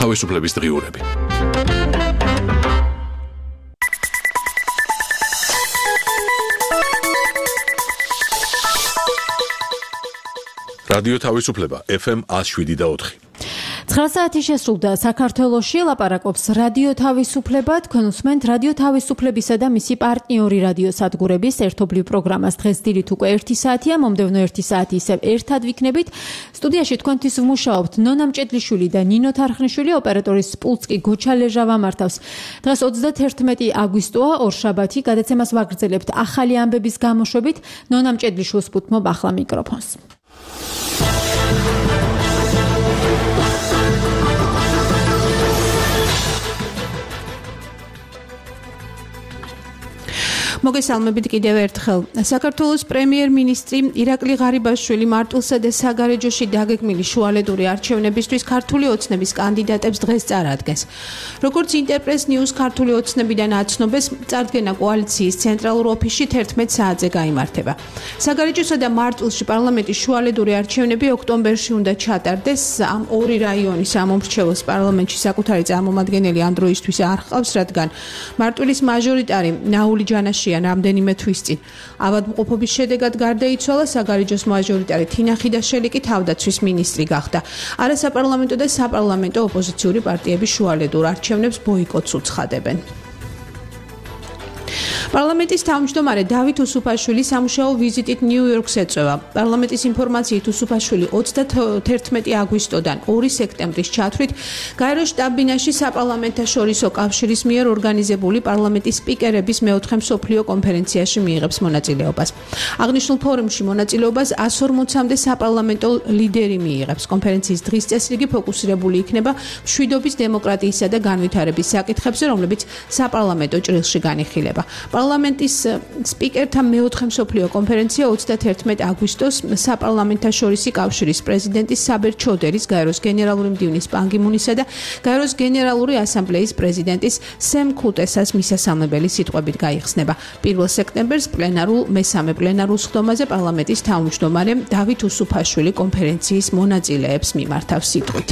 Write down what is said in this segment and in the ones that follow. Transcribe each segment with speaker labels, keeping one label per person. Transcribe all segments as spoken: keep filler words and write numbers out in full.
Speaker 1: თავისუფლების დღიურები. რადიო თავისუფლება ეფ ემ one oh seven point four.
Speaker 2: ცხრა საათი შესრულდა საქართველოში ლაპარაკობს რადიო თავისუფლება. თქვენ უსმენთ რადიო თავისუფლებისა და მისი პარტნიორი რადიო სადგურების ერთობლივ პროგრამას. დღეს დილით უკვე ერთი საათია, მომდევნო ერთი საათი ისევ ერთად ვიქნებით. სტუდიაში თქვენთვის ვმუშაობთ ნონა მჭედლიშვილი და ნინო თარხნიშვილი, ოპერატორის პულტს კი გოჩა ლეჟა ვამართავს. დღეს ოცდათერთმეტი აგვისტოა, ორშაბათი, გადაცემას ვაგრძელებთ ახალი ამბების გამოშვებით. ნონა მჭედლიშვილს ვუთმობ ახლა მიკროფონს. მოგესალმებით კიდევ ერთხელ. საქართველოს პრემიერ-მინისტრი ირაკლი ღარიბაშვილი მარტვილსა და საგარეჯოში დაგეგმილი შუალედური არჩევნებისთვის ქართული ოცნების კანდიდატებს დღეს წარადგენს. როგორც ინტერპრეს ნიუს ქართული ოცნებიდან აცნობეს, წარდგენა კოალიციის ცენტრალურ ოფისში თერთმეტ საათზე გაიმართება. საგარეჯოსა და მარტვილში პარლამენტის შუალედური არჩევნები ოქტომბერში უნდა ჩატარდეს. ამ ორი რაიონის ამომრჩეველს პარლამენტში საკუთარი წარმომადგენელი ამ დროისთვის არ ჰყავს, რადგან მარტვილის მაჟორიტარი ნაული ჯანაში რამდენიმე თვის წინ ავადმყოფობის შედეგად გარდაიცვალა. საგარეჯოს მაჟორიტარი თინა ხიდაშელი კი თავდაცვის მინისტრი გახდა. არასაპარლამენტო და საპარლამენტო ოპოზიციური პარტიების შუალედურ არჩევნებს ბოიკოტს უცხადებენ. პარლამენტის თავმჯდომარე დავით უსუფაშვილი სამუშაო ვიზიტით ნიუ-იორკს ეწევა. პარლამენტის ინფორმაციით უსუფაშვილი ოცდათერთმეტი აგვისტოდან ორი სექტემბრის ჩათვლით გაეროს შტაბ-ბინაში საპარლამენტაშორისო კავშირის მიერ ორგანიზებული პარლამენტის სპიკერების მეოთხე მსოფლიო კონფერენციაში მიიღებს მონაწილეობას. აღნიშნულ ფორუმში მონაწილეობას one forty-მდე საპარლამენტო ლიდერი მიიღებს. კონფერენციის დღის წესრიგი ფოკუსირებული იქნება მშვიდობის, დემოკრატიისა და განვითარების საკითხებზე, რომლებიც საპარლამენტო ჭრილში განიხილება. პარლამენტის სპიკერთა მეოთხე მსოფლიო კონფერენცია ოცდათერთმეტი აგვისტოს საპარლამენტაშორისი კავშირის პრეზიდენტის საბერ ჩოდერის, გაეროს გენერალური მდივნის პან გი მუნისა და გაეროს გენერალური ასამბლეის პრეზიდენტის სემ ქუტესას მისასალმებელი სიტყვებით გაიხსნება. პირველ სექტემბერს პლენარულ მესამე პლენარულ სხდომაზე პარლამენტის თავმჯდომარე დავით უსუფაშვილი კონფერენციის მონაწილეებს მიმართავს სიტყვით.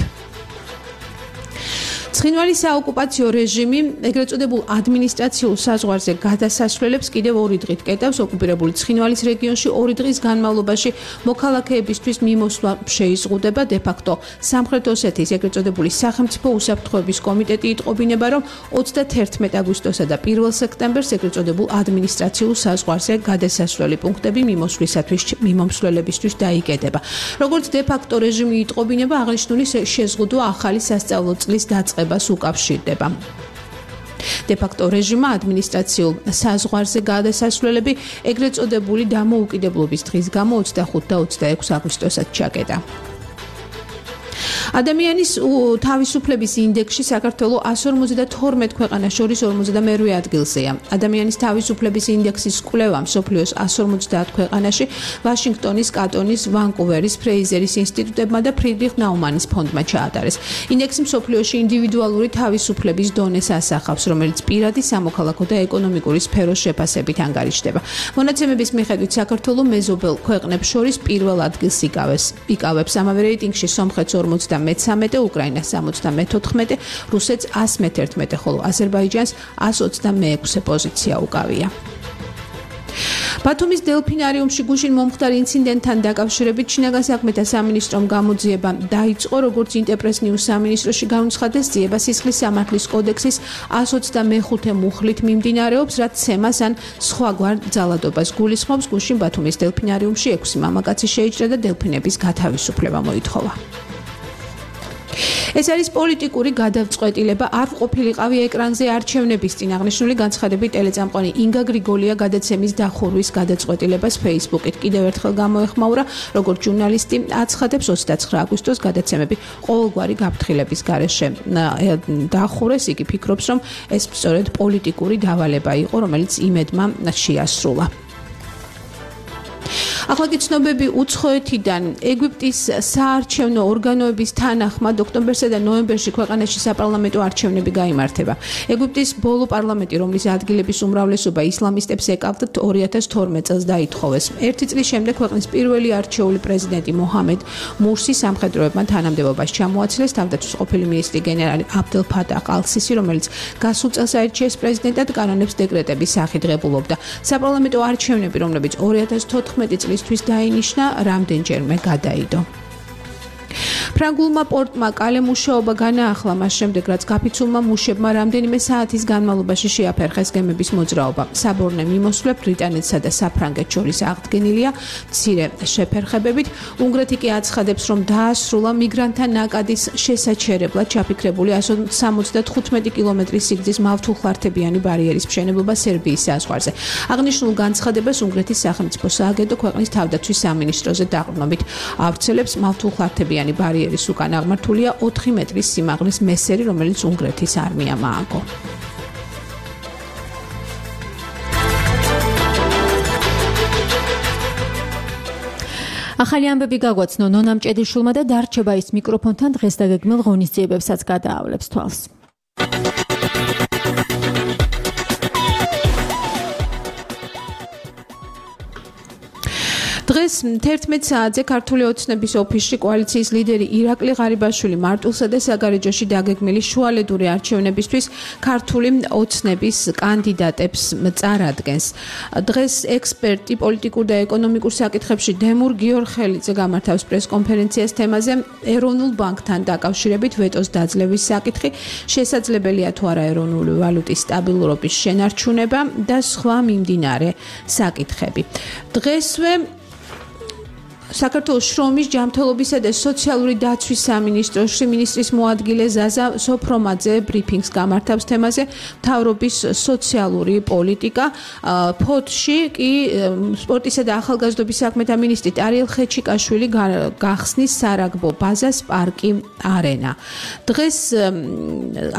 Speaker 2: ცხინვალის საოკუპაციო რეჟიმი ეგრეთ წოდებულ ადმინისტრაციულ საზღვარზე გადასასვლელებს კიდევ ორი დღით კეტავს. ოკუპირებული ცხინვალის რეგიონში ორი დღის განმავლობაში მოქალაქეებისთვის მიმოსვლა შეიზღუდება. დე-ფაქტო სამხრეთ ოსეთის ეგრეთ წოდებული სახელმწიფო უსაფრთხოების კომიტეტი იტყობინება, რომ ოცდათერთმეტი აგვისტოსა და პირველ სექტემბერს ეგრეთ წოდებულ ადმინისტრაციულ საზღვარზე გადასასვლელი პუნქტები მიმოსვლისათვის მიმომსვლელებისთვის დაიკეტება. როგორც დე-ფაქტო რეჟიმი იტყობინება, აღნიშნული შეზღუდვა ახალი სასწავლო წლის დაწყებას უკავშირდება. დე-ფაქტო რეჟიმმა ადმინისტრაციულ საზღვარზე გადასასვლელები ეგრეთ წოდებული დამოუკიდებლობის დღის გამო ოცდახუთი და ოცდაექვსი აგვისტოსაც ჩაკეტა. ადამიანის თავისუფლების ინდექსში საქართველოს one forty-two ქვეყანას შორის ორმოცდამერვე ადგილზეა. ადამიანის თავისუფლების ინდექსის კვლევა მსოფლიოს one forty ქვეყანაში ვაშინგტონის, კატონის, ვანკუვერის, ფრეიზერის ინსტიტუტებმა და ფრიდრიხ ნაუმანის ფონდმა ჩაატარეს. ინდექსი მსოფლიოში ინდივიდუალური თავისუფლების დონეს ასახავს, რომელიც პირადი, სამოქალაქო და ეკონომიკური სფეროს შეფასებით ანგარიშდება. მონაცემების მიხედვით საქართველოს მეზობელ ქვეყნებს შორის პირველ ადგილს იკავებს. იკავებს ამავე რეიტინგში სომხეთს ორმოცდამეცამეტე, უკრაინას სამოცდამეთოთხმეტე, რუსეთს one methirtmete, ხოლო აზერბაიჯანს one ოცდამეექვსე პოზიცია უკავია. ბათუმის დელფინარიუმში გუშინ მომხდარ ინციდენტთან დაკავშირებით შინაგან საქმეთა სამინისტრომ გამოძიება დაიწყო. როგორც ინტერპრეს ნიუს სამინისტროში განუცხადეს, ძიება სისხლის სამართლის კოდექსის one ოცდამეხუთე მუხლით მიმდინარეობს, რაც ცემას ან სხვაგვარ ძალადობას გულისხმობს. გუშინ ბათუმის დელფინარიუმში ექვსი მამაკაცი შეიჭრა და დელფინების გათავისუფლება მოითხოვა. ეს არის პოლიტიკური გადაწყვეტილება. არ ყოფილიყავი ეკრანზე არჩევნების წინ. აღნიშნული განცხადებით ტელეწამყვანი ინგა გრიგოლია გადაცემის დახურვის გადაწყვეტილებას Facebook-ით კიდევ ერთხელ გამოეხმაურა. როგორც ჟურნალისტი აცხადებს, ოცდაცხრა აგვისტოს გადაცემები ყოველგვარი გაფრთხილების გარეშე დახურეს. იგი ფიქრობს, რომ ეს სწორედ პოლიტიკური დავალება იყო, რომელიც იმედმა შეასრულა. ახლა კი ცნობები უცხოეთიდან ეგვიპტის საარჩევნო ორგანოების თანახმად ოქტომბერსა და ნოემბერში ქვეყანაში საპარლამენტო არჩევნები გაიმართება. ეგვიპტის ბოლო პარლამენტი, რომლის ადგილების უმრავლესობა ისლამისტებს ეკავდათ, ორი ათას თორმეტ წელს დაითხოვეს. ერთი წლის შემდეგ ქვეყნის პირველი არჩეული პრეზიდენტი მოჰამედ მურსი სამხედროებმა თანამდებობას ჩამოაცილეს. თავდაცვის ყოფილი მინისტრი გენერალი აბდელ ფატაჰ ალ-სისი, რომელიც გასულ წელს აირჩიეს პრეზიდენტად, კანონებს დეკრეტების სახით ღებულობდა. საპარლამენტო არჩევნები, რომლებიც ორი ათას თოთხმეტი წლისთვის დაინიშნა, რამდენჯერმე გადაიდო. ფრანგულმა პორტმა კალე მუშაობა განაახლა მას შემდეგ, რაც გაფიცულმა მუშებმა რამდენიმე საათის განმავლობაში შეაფერხეს გემების მოძრაობა. საბორნე მიმოსვლა ბრიტანეთსა და საფრანგეთს შორის აღდგენილია მცირე შეფერხებებით. უნგრეთი კი აცხადებს, რომ დაასრულა მიგრანტთა ნაკადის შესაჩერებლად ჩაფიქრებული εκατს სამოცდათხუთმეტი კილომეტრის სიგრძის მავთულხლართებიანი ბარიერის მშენებლობა სერბიის საზღვარზე. აღნიშნულ განცხადებას უნგრეთის სახელმწიფო სააგენტო ქვეყნის თავდაცვის სამინისტროზე დაყრდნობით ავრცელებს. მავთულხლართებიანი ბარიერის უკან აღმართულია ოთხი მეტრის სიმაღლის მესერი, რომელიც უნგრეთის არმიამ ააგო. ახალი ამბები გაგვაცნო ნონამ ჭედიშვილმა და დარჩება ის მიკროფონთან დღეს დაგეგმილ ღონისძიებებსაც გადაავლებს თვალს. დღეს თერთმეტ საათზე ქართული ოცნების ოფისში კოალიციის ლიდერი ირაკლი ღარიბაშვილი მარტვილსა და საგარეჯოში დაგეგმილი შუალედური არჩევნებისთვის ქართული ოცნების კანდიდატებს წარადგენს. დღეს ექსპერტი პოლიტიკურ და ეკონომიკურ საკითხებში დემურ გიორხელიძე გამართავს პრესკონფერენციას თემაზე ეროვნულ ბანკთან დაკავშირებით ვეტოს დაძლევის საკითხი, შესაძლებელია თუ არა ეროვნული ვალუტის სტაბილურობის შენარჩუნება და სხვა მიმდინარე საკითხები. დღესვე საქართველოს შრომის, ჯანმრთელობისა და სოციალური დაცვის სამინისტროს მინისტრის მოადგილე ზაზა სოფრომაძე ბრიფინგს გამართავს თემაზე მთავრობის სოციალური პოლიტიკა. ფოთში კი სპორტისა და ახალგაზრდობის საქმეთა მინისტრი ტარიელ ხეჩიკაშვილი გახსნის სარაგბო ბაზას პარკი არენა. დღეს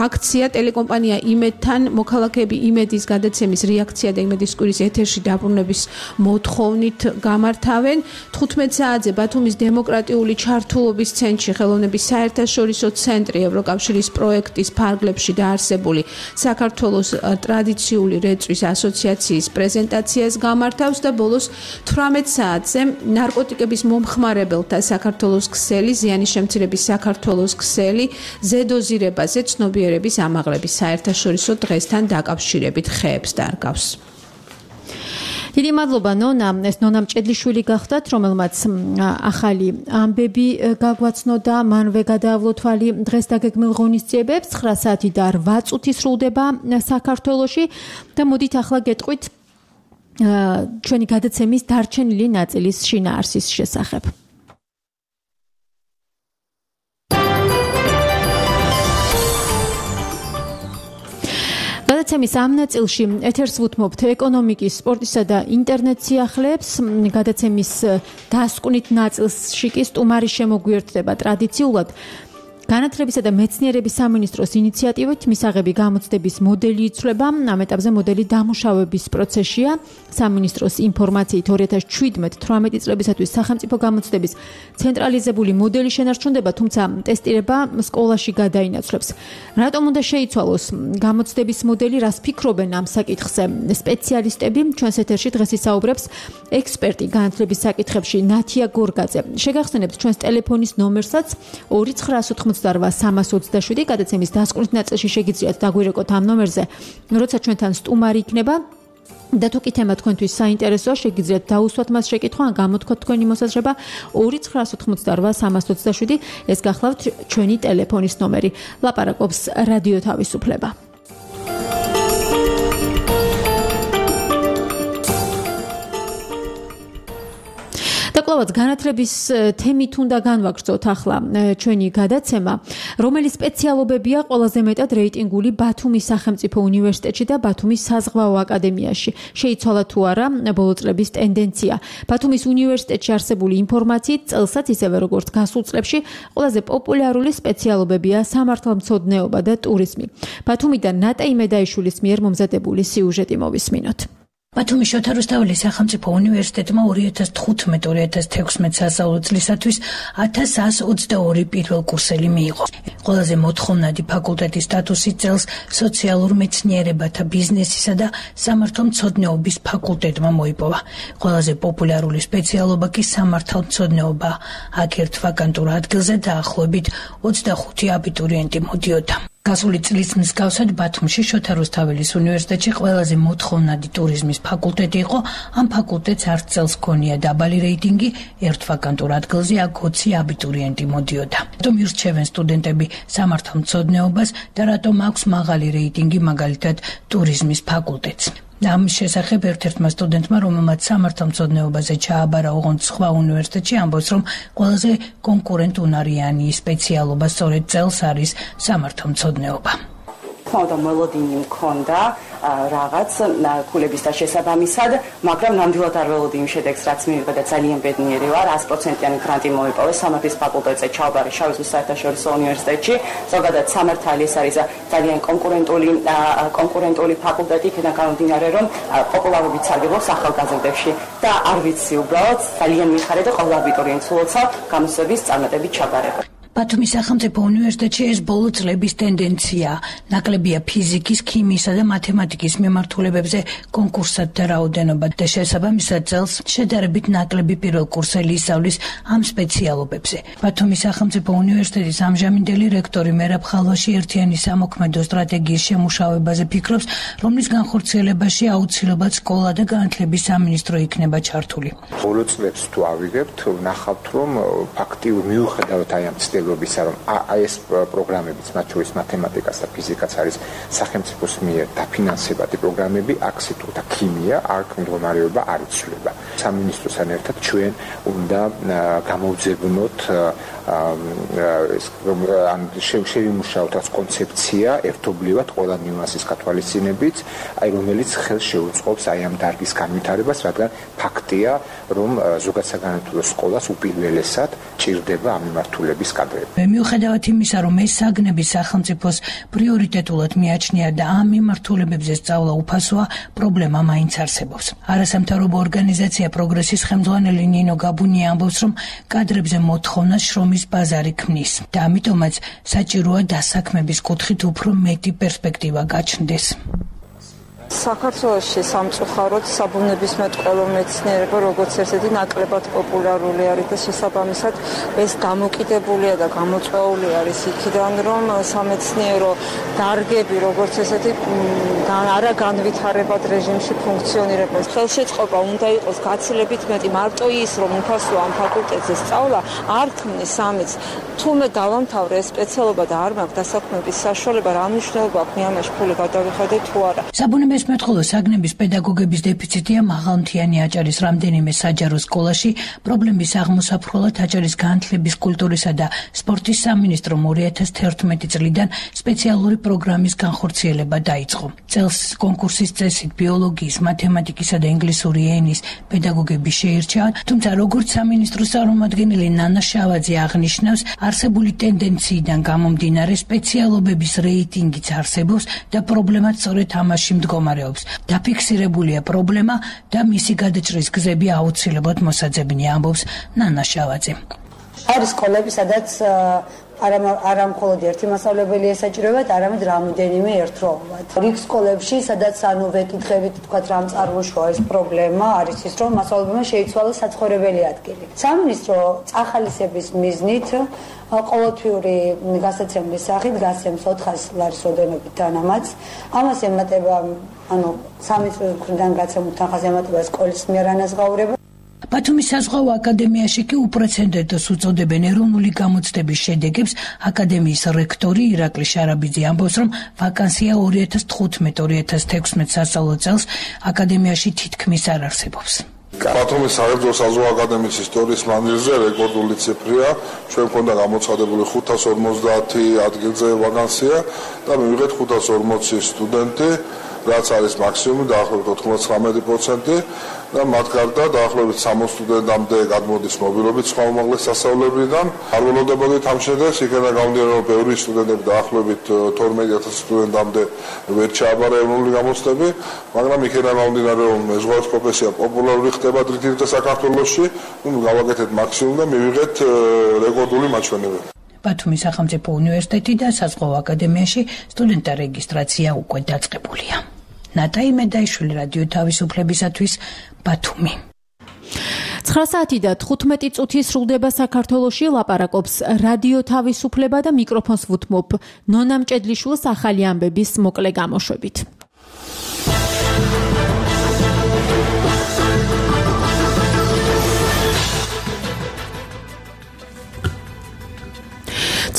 Speaker 2: აქცია ტელეკომპანია იმედთან მოქალაქეები იმედის გადაცემის რეაქცია და იმედის კვირის ეთერში დაბრუნების მოთხოვნით გამართავენ. თხუთმეტ საათზე ბათუმის დემოკრატიული ჩართულობის ცენტრში ხელოვნების საერთაშორისო ცენტრი ევროკავშირის პროექტის ფარგლებში დაარსებული საქართველოს ტრადიციული რეწვის ასოციაციის პრეზენტაციას გამართავს და ბოლოს თვრამეტ საათზე ნარკოტიკების მომხმარებელთა საქართველოს ქსელი, ზიანის შემცირების საქართველოს ქსელი, ზედოზირებაზე ცნობიერების ამაღლების საერთაშორისო დღესთან დაკავშირებით ხეებს დარგავს. დიდი მადლობა ნონა, ეს ნონამ ჭედლიშვილი გახდათ, რომელმაც ახალი ამბები გაგვაცნო და მანვე გადაავლო თვალი დღეს დაგეგმილ ღონისძიებებს. ცხრა საათი და რვა წუთი სრულდება საქართველოში და მოდით ახლა გეტყვით ჩვენი გადაცემის დარჩენილი ნაწილის შინაარსის შესახებ. გადაცემის ამ ნაწილში ეთერს ვუთმობთ ეკონომიკის, სპორტისა და ინტერნეტ სიახლეებს. გადაცემის დასკვნით ნაწილში კი სტუმარი შემოგვიერთდება ტრადიციულად განათლებისა და მეცნიერების სამინისტროს ინიციატივით მისაღები გამოცდების მოდელი იცვლება. ამ ეტაპზე მოდელი დამუშავების პროცესშია. სამინისტროს ინფორმაციით ორი ათას შვიდმეტ თვრამეტი წლებისათვის სახელმწიფო გამოცდების ცენტრალიზებული მოდელი შენარჩუნდება, თუმცა ტესტირება სკოლაში გადაინაცვლებს. რატომ უნდა შეიცვალოს გამოცდების მოდელი, რას ფიქრობენ ამ საკითხზე სპეციალისტები? ჩვენს ეთერში დღეს ისაუბრებს ექსპერტი განათლების საკითხებში ნათია გორგაძე. შეგახსენებთ ჩვენს ტელეფონის ნომერსაც ორი ცხრა ოცდარვა სამას ოცდაშვიდი. გადაცემის დასკვნით ნაწილში შეგიძლიათ დაგვირეკოთ ამ ნომერზე, როცა ჩვენთან სტუმარი იქნება. და თუ კი თემა თქვენთვის საინტერესოა, შეგიძლიათ დაუსვათ მას შეკითხვა, ან გამოთქვათ თქვენი მოსაზრება ორი ცხრა ოცდარვა სამას ოცდაშვიდი. ეს გახლავთ ჩვენი ტელეფონის ნომერი. ლაპარაკობს რადიო თავისუფლება. დაკლავად განათლების თემით უნდა განვაგრძოთ ახლა ჩვენი გადაცემა, რომელი სპეციალობებია ყველაზე მეტად რეიტინგული ბათუმის სახელმწიფო უნივერსიტეტში და ბათუმის საზღვაო აკადემიაში. შეიცვალა თუ არა ბოლო წლების ტენდენცია. ბათუმის უნივერსიტეტში არსებული ინფორმაციით წელსაც ისევე როგორც გასულ წლებში ყველაზე პოპულარული სპეციალობებია სამართალმცოდნეობა და ტურიზმი. ბათუმიდან ნატა იმედაიშვილის მიერ მომზადებული სიუჟეტი მოვისმინოთ.
Speaker 3: ბათუმის შოთა რუსთაველის სახელმწიფო უნივერსიტეტმა ორი ათას თხუთმეტ ორი ათას თექვსმეტ სასწავლო წლისათვის ათას ასს ოცდაორი პირველკურსელი მიიღო. ყველაზე მოთხოვნადი ფაკულტეტის სტატუსი წელს სოციალურ მეცნიერებათა ბიზნესისა და სამართალმცოდნეობის ფაკულტეტმა მოიპოვა. ყველაზე პოპულარული სპეციალობა კი სამართალმცოდნეობა. აქ ერთ ვაკანტურ ადგილზე დაახლოებით ოცდახუთი აბიტურიენტი მოდიოდა. გასული წლის მსგავსად ბათუმში შოთა რუსთაველის უნივერსიტეტში ყველაზე მოთხოვნადი ტურიზმის ფაკულტეტი იყო. ამ ფაკულტეტს არც წელს ჰქონია დაბალი რეიტინგი, ერთ ვაკანტურ ადგილზე აქ ოცი აბიტურიენტი მოდიოდა. რატომ ირჩევენ სტუდენტები სამართალმცოდნეობას და რატომ აქვს მაღალი რეიტინგი მაგალითად ტურიზმის ფაკულტეტს? ამის შესახებ ერთ-ერთმა სტუდენტმა, რომელმაც სამართალმცოდნეობაზე ჩააბარა ოღონდ სხვა უნივერსიტეტში, ამბობს, რომ ყველაზე კონკურენტუნარიანი სპეციალობა სწორედ წელს არის სამართალმცოდნეობა.
Speaker 4: ხოდა მელოდინი მქონდა რაღაც ქულების და შესაბამისად, მაგრამ ნამდვილად არ ველოდი იმ შედეგს, რაც მივიღე და ძალიან ბედნიერი ვარ. ას პროცენტიანი გრანტი მოიპოვეს სამართლის ფაკულტეტზე ჩავაბარე შავი ზღვის საერთაშორისო უნივერსიტეტში. ზოგადად სამართალი ეს არის ძალიან კონკურენტული კონკურენტული ფაკულტეტი, იქიდან გამომდინარე, რომ პოპულარობით სარგებლობს ახალგაზრდებში და არ ვიცი უბრალოდ ძალიან მიხარია და ყველა აბიტურიენტს ულოცავ გამოსვლების წარმატებით ჩაბარება.
Speaker 3: ბათუმის სახელმწიფო უნივერსიტეტში ეს ბოლო წლების ტენდენცია. ნაკლებია ფიზიკის, ქიმიისა და მათემატიკის მიმართულებებზე კონკურსთა რაოდენობა და შესაბამისად წელს შედარებით ნაკლები პირველკურსელი ისწავლის ამ სპეციალობებზე. ბათუმის სახელმწიფო უნივერსიტეტის ამჟამინდელი რექტორი მერაბ ხალვაში ერთიანი სამოქმედო სტრატეგიის შემუშავებაზე ფიქრობს, რომლის განხორციელებაში აუცილებლად სკოლა და განათლების სამინისტრო იქნება ჩართული.
Speaker 5: ბოლო წლებს თუ ავიღებთ, ვნახავთ, რომ ფაქტიურად მიუხედავად აი ამ ცდილობისა, რომ აი ეს პროგრამებიც, მათ შორის მათემატიკას და ფიზიკაც არის სახელმწიფოს მიერ დაფინანსებადი პროგრამები, აქ სიტუთა ქიმია, აქ მდგომარეობა არ იცვლება. სამინისტროსთან ერთად ჩვენ უნდა გამოვძებნოთ ან შევიმუშაოთ რაც კონცეფცია ერთობლივად ყველა ნიუანსის გათვალისწინებით, აი რომელიც ხელს შეუწყობს აი ამ დარგის განვითარებას, რადგან ფაქტია, რომ ზოგადსაგანმანათლებლო სკოლას უპირველესად ჭირდება ამ მიმართულების კადრები.
Speaker 3: მიუხედავად იმისა, რომ ეს საგნები სახელმწიფოს პრიორიტეტულად მიაჩნია და ამ მიმართულებებზე სწავლა უფასოა, პრობლემა მაინც არსებობს. არასამთავრობო ორგანიზაცია პროგრესის ხელმძღვანელი ნინო გაბუნია ამბობს, რომ კადრებზე მოთხოვნა შრომის ბაზარი ქმნის და ამიტომაც საჭიროა დასაქმების კუთხით უფრო მეტი პერსპექტივა გაჩნდეს.
Speaker 6: საქართველოში სამწუხაროდ საბუნებისმეტყველო მეცნიერება როგორც ერთ-ერთი ნაკლებად პოპულარული არის და შესაბამისად ეს დამოკიდებულია და გამოწვეული არის იქიდან, რომ სამეცნიერო დარგები როგორც ესეთი არა განვითარებად რეჟიმში ფუნქციონირებას. ხელშეწყობა უნდა იყოს გაცილებით მეტი. მარტო ის, რომ უფასო ამ ფაკულტეტზე სწავლა არ ქმნის ამის. თუმე დავამთავრე ეს სპეციალობა და არ მაქვს დასაქმების საშუალება, რა მნიშვნელობა აქვს მე ამაში ფული გადავიხადე თუ არა.
Speaker 3: საბუნებისმეტყველო საგნების პედაგოგების დეფიციტია მაღალმთიანი აჭარის რამდენიმე საჯარო სკოლაში. პრობლემის აღმოსაფრთხებლად აჭარის განათლების, კულტურისა და სპორტის სამინისტრომ ორი ათას თერთმეტი წლიდან სპეციალური პროგრამის განხორციელება დაიწყო. წელს კონკურსის წესით ბიოლოგიის, მათემატიკისა და ინგლისური ენის პედაგოგები შეირჩა, თუმცა როგორც სამინისტროს წარმომადგენელი ნანა შავაძე აღნიშნავს, არსებული ტენდენციიდან გამომდინარე სპეციალობების რეიტინგიც არსებობს და პრობლემაც სწორედ ამაში მდგომარეობს. დაფიქსირებულია პრობლემა და მისი გადაჭრის გზები აუცილებლად მოსაძებნია, ამბობს ნანა შავაძე.
Speaker 7: არის სკოლები, სადაც არა მხოლოდ ერთი მასწავლებელი ესაჭიროებათ, არამედ რამოდენიმე ერთდროულად. რიგ სკოლებში, სადაც ანუ ვეკითხებით, თქვათ, რამ წარმოშვა ეს პრობლემა, არის ის, რომ მასწავლებელმა შეიცვალა საცხოვრებელი ადგილი. სამინისტრო წახალისების მიზნით ყოველთვიური გასაცემლის სახით გასცემს ოთხას ლარის ოდენობით თანამაც. ამას ემატება, ანუ სამინისტროს მხრიდან გაცემულ თანხას ემატება სკოლის მიერ ანაზღაურება.
Speaker 3: ბათუმის საზღვაო აკადემიაში კი უპრეცედენტოს უწოდებენ ეროვნული გამოცდების შედეგებს. აკადემიის რექტორი ირაკლი შარაბიძე ამბობს, რომ ვაკანსია ორი ათას თხუთმეტ ორი ათას თექვსმეტ სასწავლო წელს აკადემიაში თითქმის არ არსებობს.
Speaker 8: ბათუმის საერთო საზღვაო აკადემიის ისტორიის მანძილზე რეკორდული ციფრია. ჩვენ მქონდა გამოცხადებული ხუთას ორმოცდაათი ადგილზე ვაკანსია და მივიღეთ ხუთას ორმოცი სტუდენტი. რაც არის მაქსიმუმი დაახლოებით ოთხმოცდათხმეტი პროცენტი და მათ გარდა დაახლოებით სამოცი სტუდენტამდე გადმოდის მობილობით სხვა უმაღლეს სასწავლებელიდან. არ ველოდებოდით ამ შედეგს, იქიდან გამომდინარე, რომ ბევრი სტუდენტები დაახლოებით თორმეტი ათასი სტუდენტამდე ვერ ჩააბარა ეროვნული გამოცდები, მაგრამ იქიდან გამომდინარე, რომ მეზღვაურის პროფესია პოპულარული ხდება დღითიდღე საქართველოში, ნუ გავაკეთეთ მაქსიმუმ და მივიღეთ რეკორდული მაჩვენებები.
Speaker 3: ბათუმის სახელმწიფო უნივერსიტეტი და საზღვაო აკადემიაში სტუდენტთა რეგისტრაცია უკვე დაწყებულია. ნატა იმედაიშვილი, რადიო თავისუფლებისათვის, ბათუმი.
Speaker 9: ცხრა საათი და თხუთმეტი წუთი სრულდება საქართველოში, ლაპარაკობს რადიო თავისუფლება და მიკროფონს ვუთმობ ნონა მჭედლიშვილს ახალი ამბების მოკლე გამოშვებით.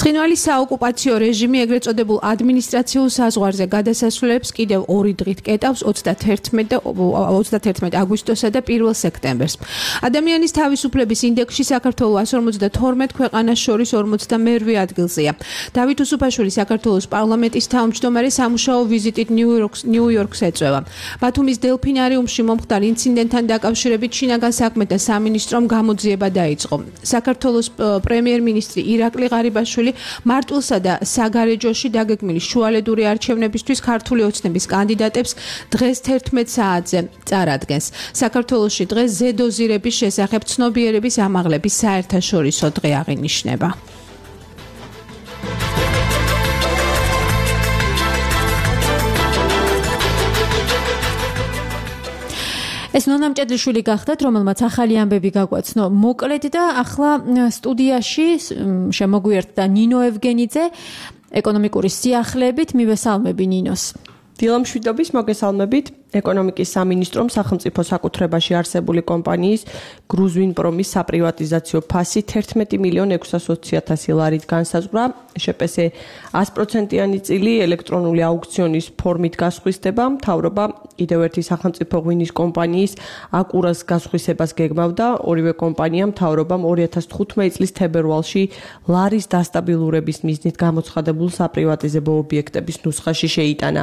Speaker 2: ცხინვალი საოკუპაციო რეჟიმი ეგრეთ წოდებულ ადმინისტრაციულ საზღვარზე გადასასვლელებს კიდევ ორი დღით კეტავს ოცდათერთმეტი აგვისტოსა და პირველ სექტემბერს. ადამიანის თავისუფლების ინდექსში საქართველო εκατს ორმოცდათორმეტ ქვეყანას შორის ორმოცდამერვე ადგილზეა. დავით უსუფაშვილი საქართველოს პარლამენტის თავმჯდომარე სამუშაო ვიზიტით ნიუ-იორკს ეწევა. ბათუმის დელფინარიუმში მომხდარ ინციდენტთან დაკავშირებით შინაგან საქმეთა სამინისტრომ გამოძიება დაიწყო. საქართველოს პრემიერ-მინისტრი ირაკლი ღარიბაშვილი მარტვილსა და საგარეჯოში დაგეგმილი შუალედური არჩევნებისთვის ქართული ოცნების კანდიდატებს დღეს თერთმეტ საათზე წარადგენს. საქართველოში დღეს ზედოზირების შესახებ ცნობიერების ამაღლების საერთაშორისო დღე აღინიშნება. ეს ნონა მჭედლიშვილი გახდათ, რომელმაც ახალი ამბები გაგვაცნო მოკლედ და ახლა სტუდიაში შემოგვიერთდა ნინო ევგენიძე ეკონომიკური სიახლეებით. მივესალმები ნინოს.
Speaker 10: დილამშვიდობის მოგესალმებით. ეკონომიკის სამინისტრომ სახელმწიფო საკუთრებაში არსებული კომპანიის გრუზვინპრომის საპრივატიზაციო ფასი თერთმეტი მილიონ ექვსასოცი ათასი ლარით განსაზღვრა. შპს ას პროცენტიანი წილი ელექტრონული აუქციონის ფორმით გასხვისდება. მთავრობა კიდევ ერთი სახელმწიფო ღვინის კომპანიის აკურას გასხვისებას გეგმავდა. ორივე კომპანია მთავრობამ ორი ათას თხუთმეტი წლის თებერვალში ლარის დასტაბილურების მიზნით გამოცხადებულ საპრივატიზებო ობიექტების ნუსხაში შეიტანა.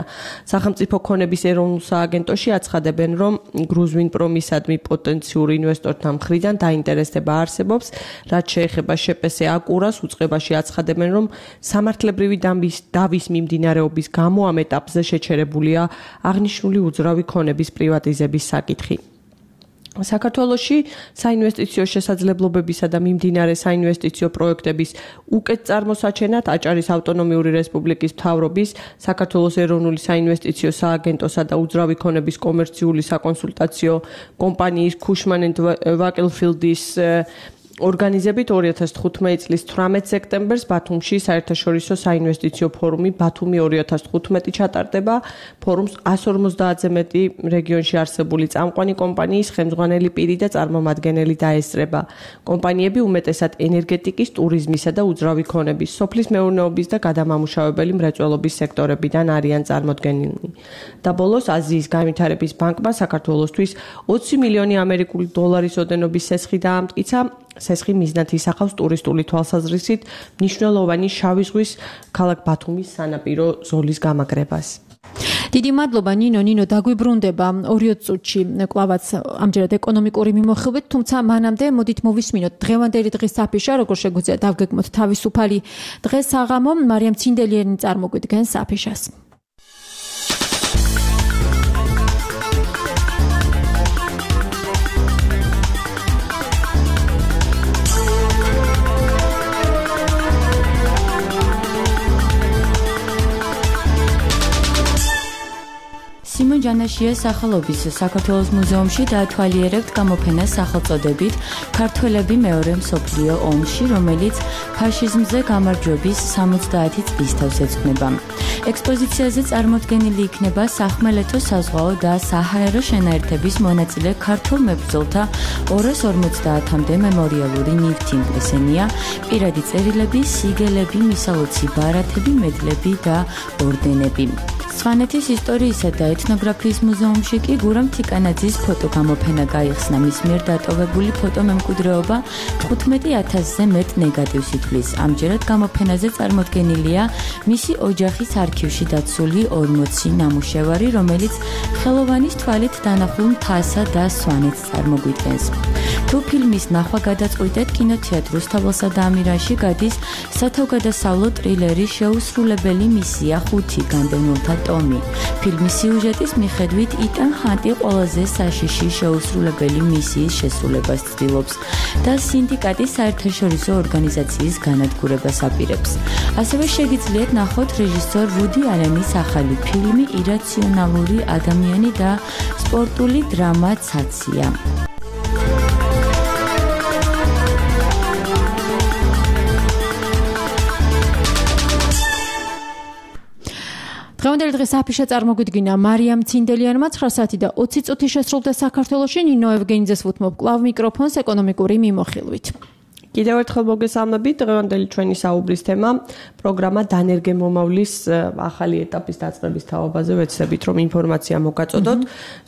Speaker 10: სახელმწიფო ქონების ეროვნულ სააგენტოში აცხადებენ, რომ გრუზვინპრომისადმი პოტენციურ ინვესტორთა მხრიდან დაინტერესება არსებობს, რაც შეეხება შპს აკურას. უწყებაში აცხადებენ, რომ სამართლებრივი დავის მიმდინარეობის გამო ამ ეტაპზე შეჩერებულია აღნიშნული უძრავი ქონების პრივატიზების საკითხი. საქართველოში საინვესტიციო შესაძლებლობებისა და მიმდინარე საინვესტიციო პროექტების უკეთ წარმოსაჩენად აჭარის ავტონომიური რესპუბლიკის მთავრობის, საქართველოს ეროვნული საინვესტიციო სააგენტოსა და უძრავი ქონების კომერციული საკონსულტაციო კომპანიის ქუშმან ენდ ვაკელფილდის ორგანიზებით ორი ათას თხუთმეტი წლის თვრამეტ სექტემბერს ბათუმში საერთაშორისო საინვესტიციო ფორუმი ბათუმი ორი ათას თხუთმეტი ჩატარდება. ფორუმს ას ორმოცდაათზე მეტი რეგიონში არსებული წამყვანი კომპანიის ხელმძღვანელი პირი და წარმომადგენელი დაესწრება. კომპანიები უმეტესად ენერგეტიკის, ტურიზმისა და უძრავი ქონების, სოფლის მეურნეობის და გადამამუშავებელი მრეწველობის სექტორებიდან არიან წარმოდგენილნი. და ბოლოს აზიის განვითარების ბანკმა საქართველოსთვის ოცი მილიონი ამერიკული დოლარის ოდენობის სესხი დაამტკიცა. სესხი მიზნად ისახავს ტურისტული თვალსაზრისით მნიშვნელოვანი შავი ზღვის ქალაქ ბათუმის სანაპირო ზოლის გამაგრებას.
Speaker 9: დიდი მადლობა ნინო. ნინო დაგვიბრუნდება ორი წუთში კლავაც ამჯერად ეკონომიკური მიმოხილვით, თუმცა მანამდე მოდით მოვისმინოთ დღევანდელი დღის საფიშა, როგორ შეგვიძლია დავგეგმოთ თავისუფალი დღეს საღამო. მარიამ ცინდელიერი წარმოგვიდგენს საფიშას. სიმონ ჯანაშიას სახელობის საქართველოს მუზეუმში დაათვალიერებთ გამოფენას სახელწოდებით ქართველები მეორე მსოფლიო ომში, რომელიც ფაშიზმზე გამარჯვების სამოცდაათი წლის თავს ეძღვნება. ექსპოზიციაზე წარმოდგენილი იქნება სახმელეთო საზღვაო და საჰაერო შენაერთების მონაწილე ქართულ მებრძოლთა ორას ორმოცდაათამდე მემორიალური ნივთი. ესენია პირადი წერილები, სიგელები, მისაოცი ბარათები, მედლები და ორდენები.
Speaker 11: სვანეთის ისტორიისა და ეთნოგრაფიის მუზეუმში კი გურამ თიკანაძის ფოტოგამოფენა გაიხსნა. მის მიერ დატოვებული ფოტომემკვიდრეობა თხუთმეტი ათასზე მეტ ნეგატივს ითვლის. ამჯერად გამოფენაზე წარმოდგენილია მისი ოჯახის არქივში დაცული ორმოცი ნამუშევარი, რომელიც ხელოვანის თვალით დანახულ მთასა და სვანეთს წარმოგვიდგენს. თუ ფილმის ნახვა გადაწყვიტეთ, კინოთეატრ რუსთაველსა და ამირანში გადის სათავგადასავლო ტრილერი შეუსრულებელი მისია ხუთი განდევნულთა ტომი. ფილმის სიუჟეტის მიხედვით იტან ჰანტი ყველაზე საშიში შეუსრულებელი მისიის შესრულებას ცდილობს და სინდიკატის საერთაშორისო ორგანიზაციის განადგურებას აპირებს. ასევე შეგიძლიათ ნახოთ რეჟისორ ვუდი ალენის ახალი ფილმი ირაციონალური ადამიანი და სპორტული დრამა ცაცია.
Speaker 9: დღევანდელი დღეს აფიშა წარმოგვიდგინა მარიამ ცინდელიანმა ცხრა საათი და ოცი წუთი შესრულდა საქართველოში. ნინო ევგენიძეს ვუთმობ კლავ მიკროფონს ეკონომიკური მიმოხილვით.
Speaker 10: კიდევ ერთხელ მოგესალმებით. დღევანდელი ჩვენი საუბრის თემა პროგრამა დანერგემომავლის ახალი ეტაპის დაწყების თაობაზე. ვეცდებით რომ ინფორმაცია მოგაწოდოთ.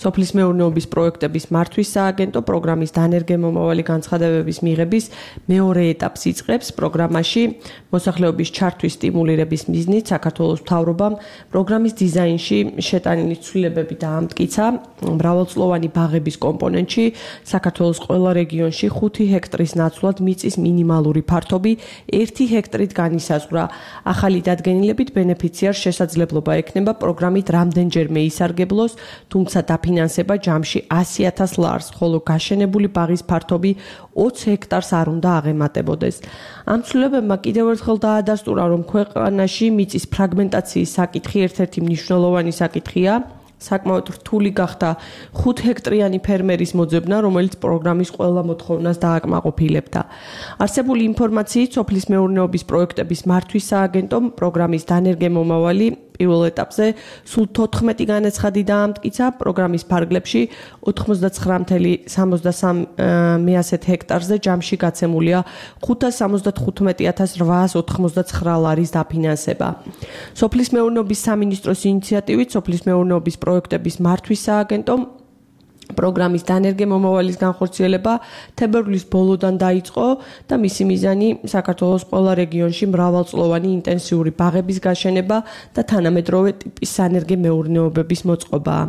Speaker 10: სოფლის მეურნეობის პროექტების მართვის სააგენტო პროგრამის დანერგემომავალი განცხადებების მიღების მეორე ეტაპს იწყებს. პროგრამაში მოსახლეობის ჩართვის სტიმულირების მიზნით საქართველოს მთავრობამ პროგრამის დიზაინში შეტანილი ცვლილებები დაამტკიცა. მრავალწლოვანი ბაღების კომპონენტში საქართველოს ყველა რეგიონში ხუთი ჰექტრის ნაცვლად მიწის მინიმალური ფართობი ერთი ჰექტრით განისაზღვრა. ახალი დადგენილებით ბენეფიციარს შესაძლებლობა ექნება პროგრამით რამდენჯერმე ისარგებლოს, თუმცა დაფინანსება ჯამში ასი ათას ლარს, ხოლო გაშენებული ბაღის ფართობი ოცი ჰექტარს არ უნდა აღემატებოდეს. ამ ცვლილებებმა კიდევ ერთხელ დაადასტურა, რომ ქვეყანაში მიწის ფრაგმენტაციის საკითხი ერთ-ერთი მნიშვნელოვანი საკითხია. საკმაოდ რთული გახდა ხუთ ჰექტრიანი ფერმერის მოძებნა, რომელიც პროგრამის ყველა მოთხოვნას დააკმაყოფილებდა. არსებული ინფორმაციით, სოფლის მეურნეობის პროექტების მართვის სააგენტომ პროგრამის დანერგემომავალი პირველ ეტაპზე სულ თოთხმეტი განაცხადი დაამტკიცა. პროგრამის ფარგლებში ოთხმოცდაცხრა ათას სამასი ჰექტარზე ჯამში გაცემულია ხუთას სამოცდათხუთმეტი ათას რვაას ოთხმოცდაცხრა ლარის დაფინანსება. სოფლის მეურნეობის სამინისტროს ინიციატივით სოფლის მეურნეობის პროექტების მართვის სააგენტომ პროგრამის დანერგემომავალის განხორციელება თებერვლის ბოლოდან დაიწყო და მისი მიზანი საქართველოს ყველა რეგიონში მრავალწლოვანი ინტენსიური ბაღების გაშენება და თანამედროვე ტიპის სანერგე მეურნეობების მოწყობაა.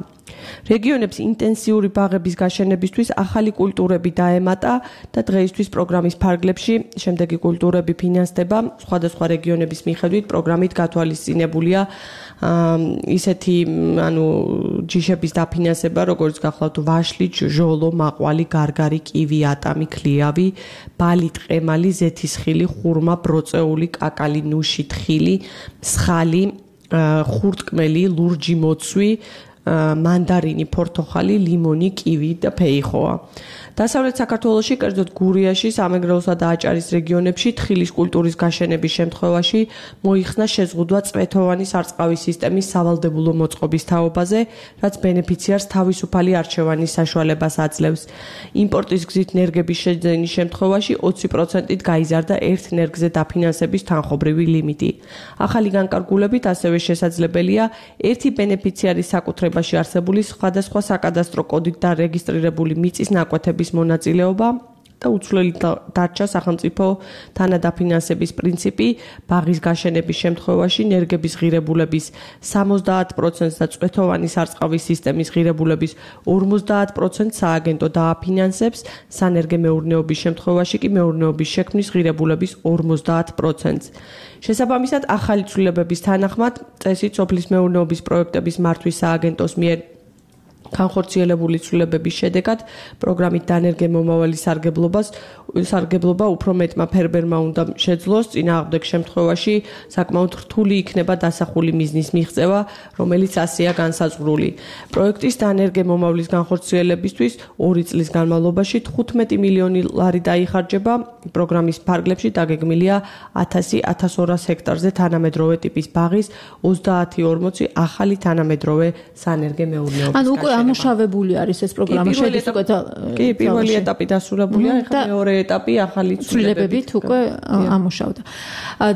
Speaker 10: რეგიონებს ინტენსიური ბაღების გაშენებისთვის ახალი კულტურები დაემატა და დღეისთვის პროგრამის ფარგლებში შემდეგი კულტურები ფინანსდება. სხვადასხვა რეგიონების მიხედვით პროგრამით გათვალისწინებულია ისეთი ანუ ჯიშების დაფინანსება, როგორც გახლავთ ვაშლი, ჟოლო, მაყვალი, გარგარი, კივი, ატამი, ქლიავი, ბალი, ტყემალი, ზეთისხილი, ხურმა, ბროწეული, კაკალი, ნუში, თხილი, მსხალი, ხურტკმელი, ლურჯი მოცვი, მანდარინი, ფორთოხალი, ლიმონი, კივი და ფეიხოა. დასავლეთ საქართველოში, კერძოდ გურიაში, სამეგრელოსა და აჭარის რეგიონებში თხილის კულტურის გაშენების შემთხვევაში მოიხსნა შეზღუდვა წვეთოვანი სარწყავი სისტემის სავალდებულო მოწყობის თაობაზე, რაც ბენეფიციარს თავისუფალი არჩევანის საშუალებას აძლევს. იმპორტის გზით ნერგების შეძენის შემთხვევაში ოცი პროცენტით გაიზარდა ერთ ნერგზე დაფინანსების თანხობრივი ლიმიტი. ახალი განკარგულებით ასევე შესაძლებელია ერთი ბენეფიციარის საკუთრებაში არსებული სხვადასხვა საკადასტრო კოდით და რეგისტრირებული მიწის ნაკვეთების მონაწილეობა და უცვლელი დარჩა სახელმწიფო თანადაფინანსების პრინციპი ბაღის გაშენების შემთხვევაში ნერგების ღირებულების სამოცდაათ პროცენტს და წვეთოვანი სარწყავი სისტემის ღირებულების ორმოცდაათ პროცენტს სააგენტო დააფინანსებს, სანერგე მეურნეობის შემთხვევაში კი მეურნეობის შექმნის ღირებულების ორმოცდაათ პროცენტს. შესაბამისად, ახალი ცვლილებების თანახმად, წესით სოფლის მეურნეობის პროექტების მართვის სააგენტოს მიერ განხორციელებული ცვლილებების შედეგად პროგრამით დანერგემომავალი სარგებლობას სარგებლობა უფრო მეტმა ფერმერმა უნდა შეძლოს. წინააღმდეგ შემთხვევაში საკმაოდ რთული იქნება დასახული მიზნის მიღწევა, რომელიც ასეა განსაზღვრული. პროექტის დანერგემომავლის განხორციელებისთვის ორი წლის განმავლობაში თხუთმეტი მილიონი ლარი დაიხარჯება. პროგრამის ფარგლებში დაგეგმილია ათასი ათას ორას ჰექტარზე თანამედროვე ტიპის ბაღის ოცდაათი ორმოცი ახალი თანამედროვე სანერგე მეურნეობის.
Speaker 9: ანუ უკვე დამუშავებული არის ეს პროგრამა შედის უკვე
Speaker 10: კი პირველი ეტაპი დასრულებულია ეხლა მეორე ეტაპი ახალი
Speaker 9: ცვლილებებით უკვე ამუშავდა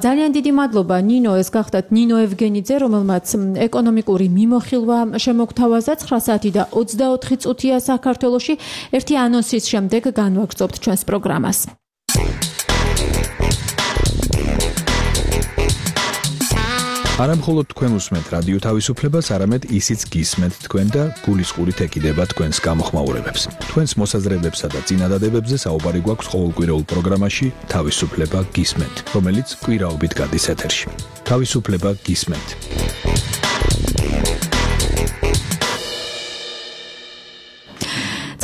Speaker 9: ძალიან დიდი მადლობა ნინო ეს გახდათ ნინო ევგენიძე რომელმაც ეკონომიკური მიმოხილვა შემოგთავაზა ცხრა საათი და ოცდაოთხი წუთია საქართველოში ერთი ანონსის შემდეგ განვაგრძობთ ჩვენს პროგრამას
Speaker 12: არა მხოლოდ თქვენ უსმენთ რადიო თავისუფლებას, არამედ ისიც გისმენთ თქვენ და გულისყურით ეკიდება თქვენს გამოხმაურებებს. თქვენს მოსაზრებებსა და წინადადებებზე საუბარი გვაქვს ყოველკვირეულ პროგრამაში თავისუფლება გისმენთ, რომელიც კვირაობით გადის ეთერში. თავისუფლება გისმენთ.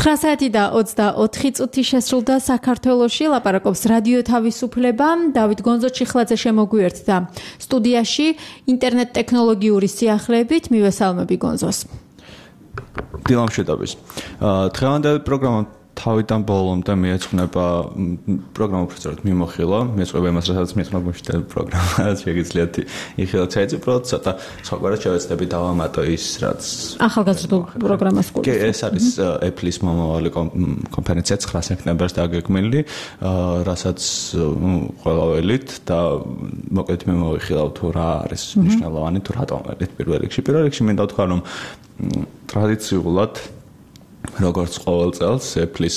Speaker 9: ცხრა საათი და ოცდაოთხი წუთი შესრულდა საქართველოში ლაპარაკობს რადიო თავისუფლება დავით გონძო-ჩიხლაძე შემოგვიერთდა სტუდიაში ინტერნეტ ტექნოლოგიური სიახლეებით მივესალმები გონზოს
Speaker 13: დილამშვიდობის დღევანდელი პროგრამა თავიდან ბოლომდე მიეძღვნება პროგრამა უბრალოდ მიმოხილვა, მიეძღვნება იმას, რასაც მიეძღვნება მუშტელი პროგრამა, შეგიძლიათ იხილოთ საერთოდ უბრალოდ ცოტა სხვაგვარად შევეცდები დავამატო ის, რაც
Speaker 9: ახალგაზრდულ პროგრამას გულისხმობს.
Speaker 13: კი, ეს არის Apple-ის მომავალი კონფერენცია ცხრა სექტემბერს დაგეგმილი, რასაც ყველაველით და მოკლედ მე მოვიხილავ თუ რა არის მნიშვნელოვანი თუ რატომ არის პირველ რიგში. პირველ რიგში მინდა ვთქვა, რომ ტრადიციულად როგორც ყოველ წელს Apple-ის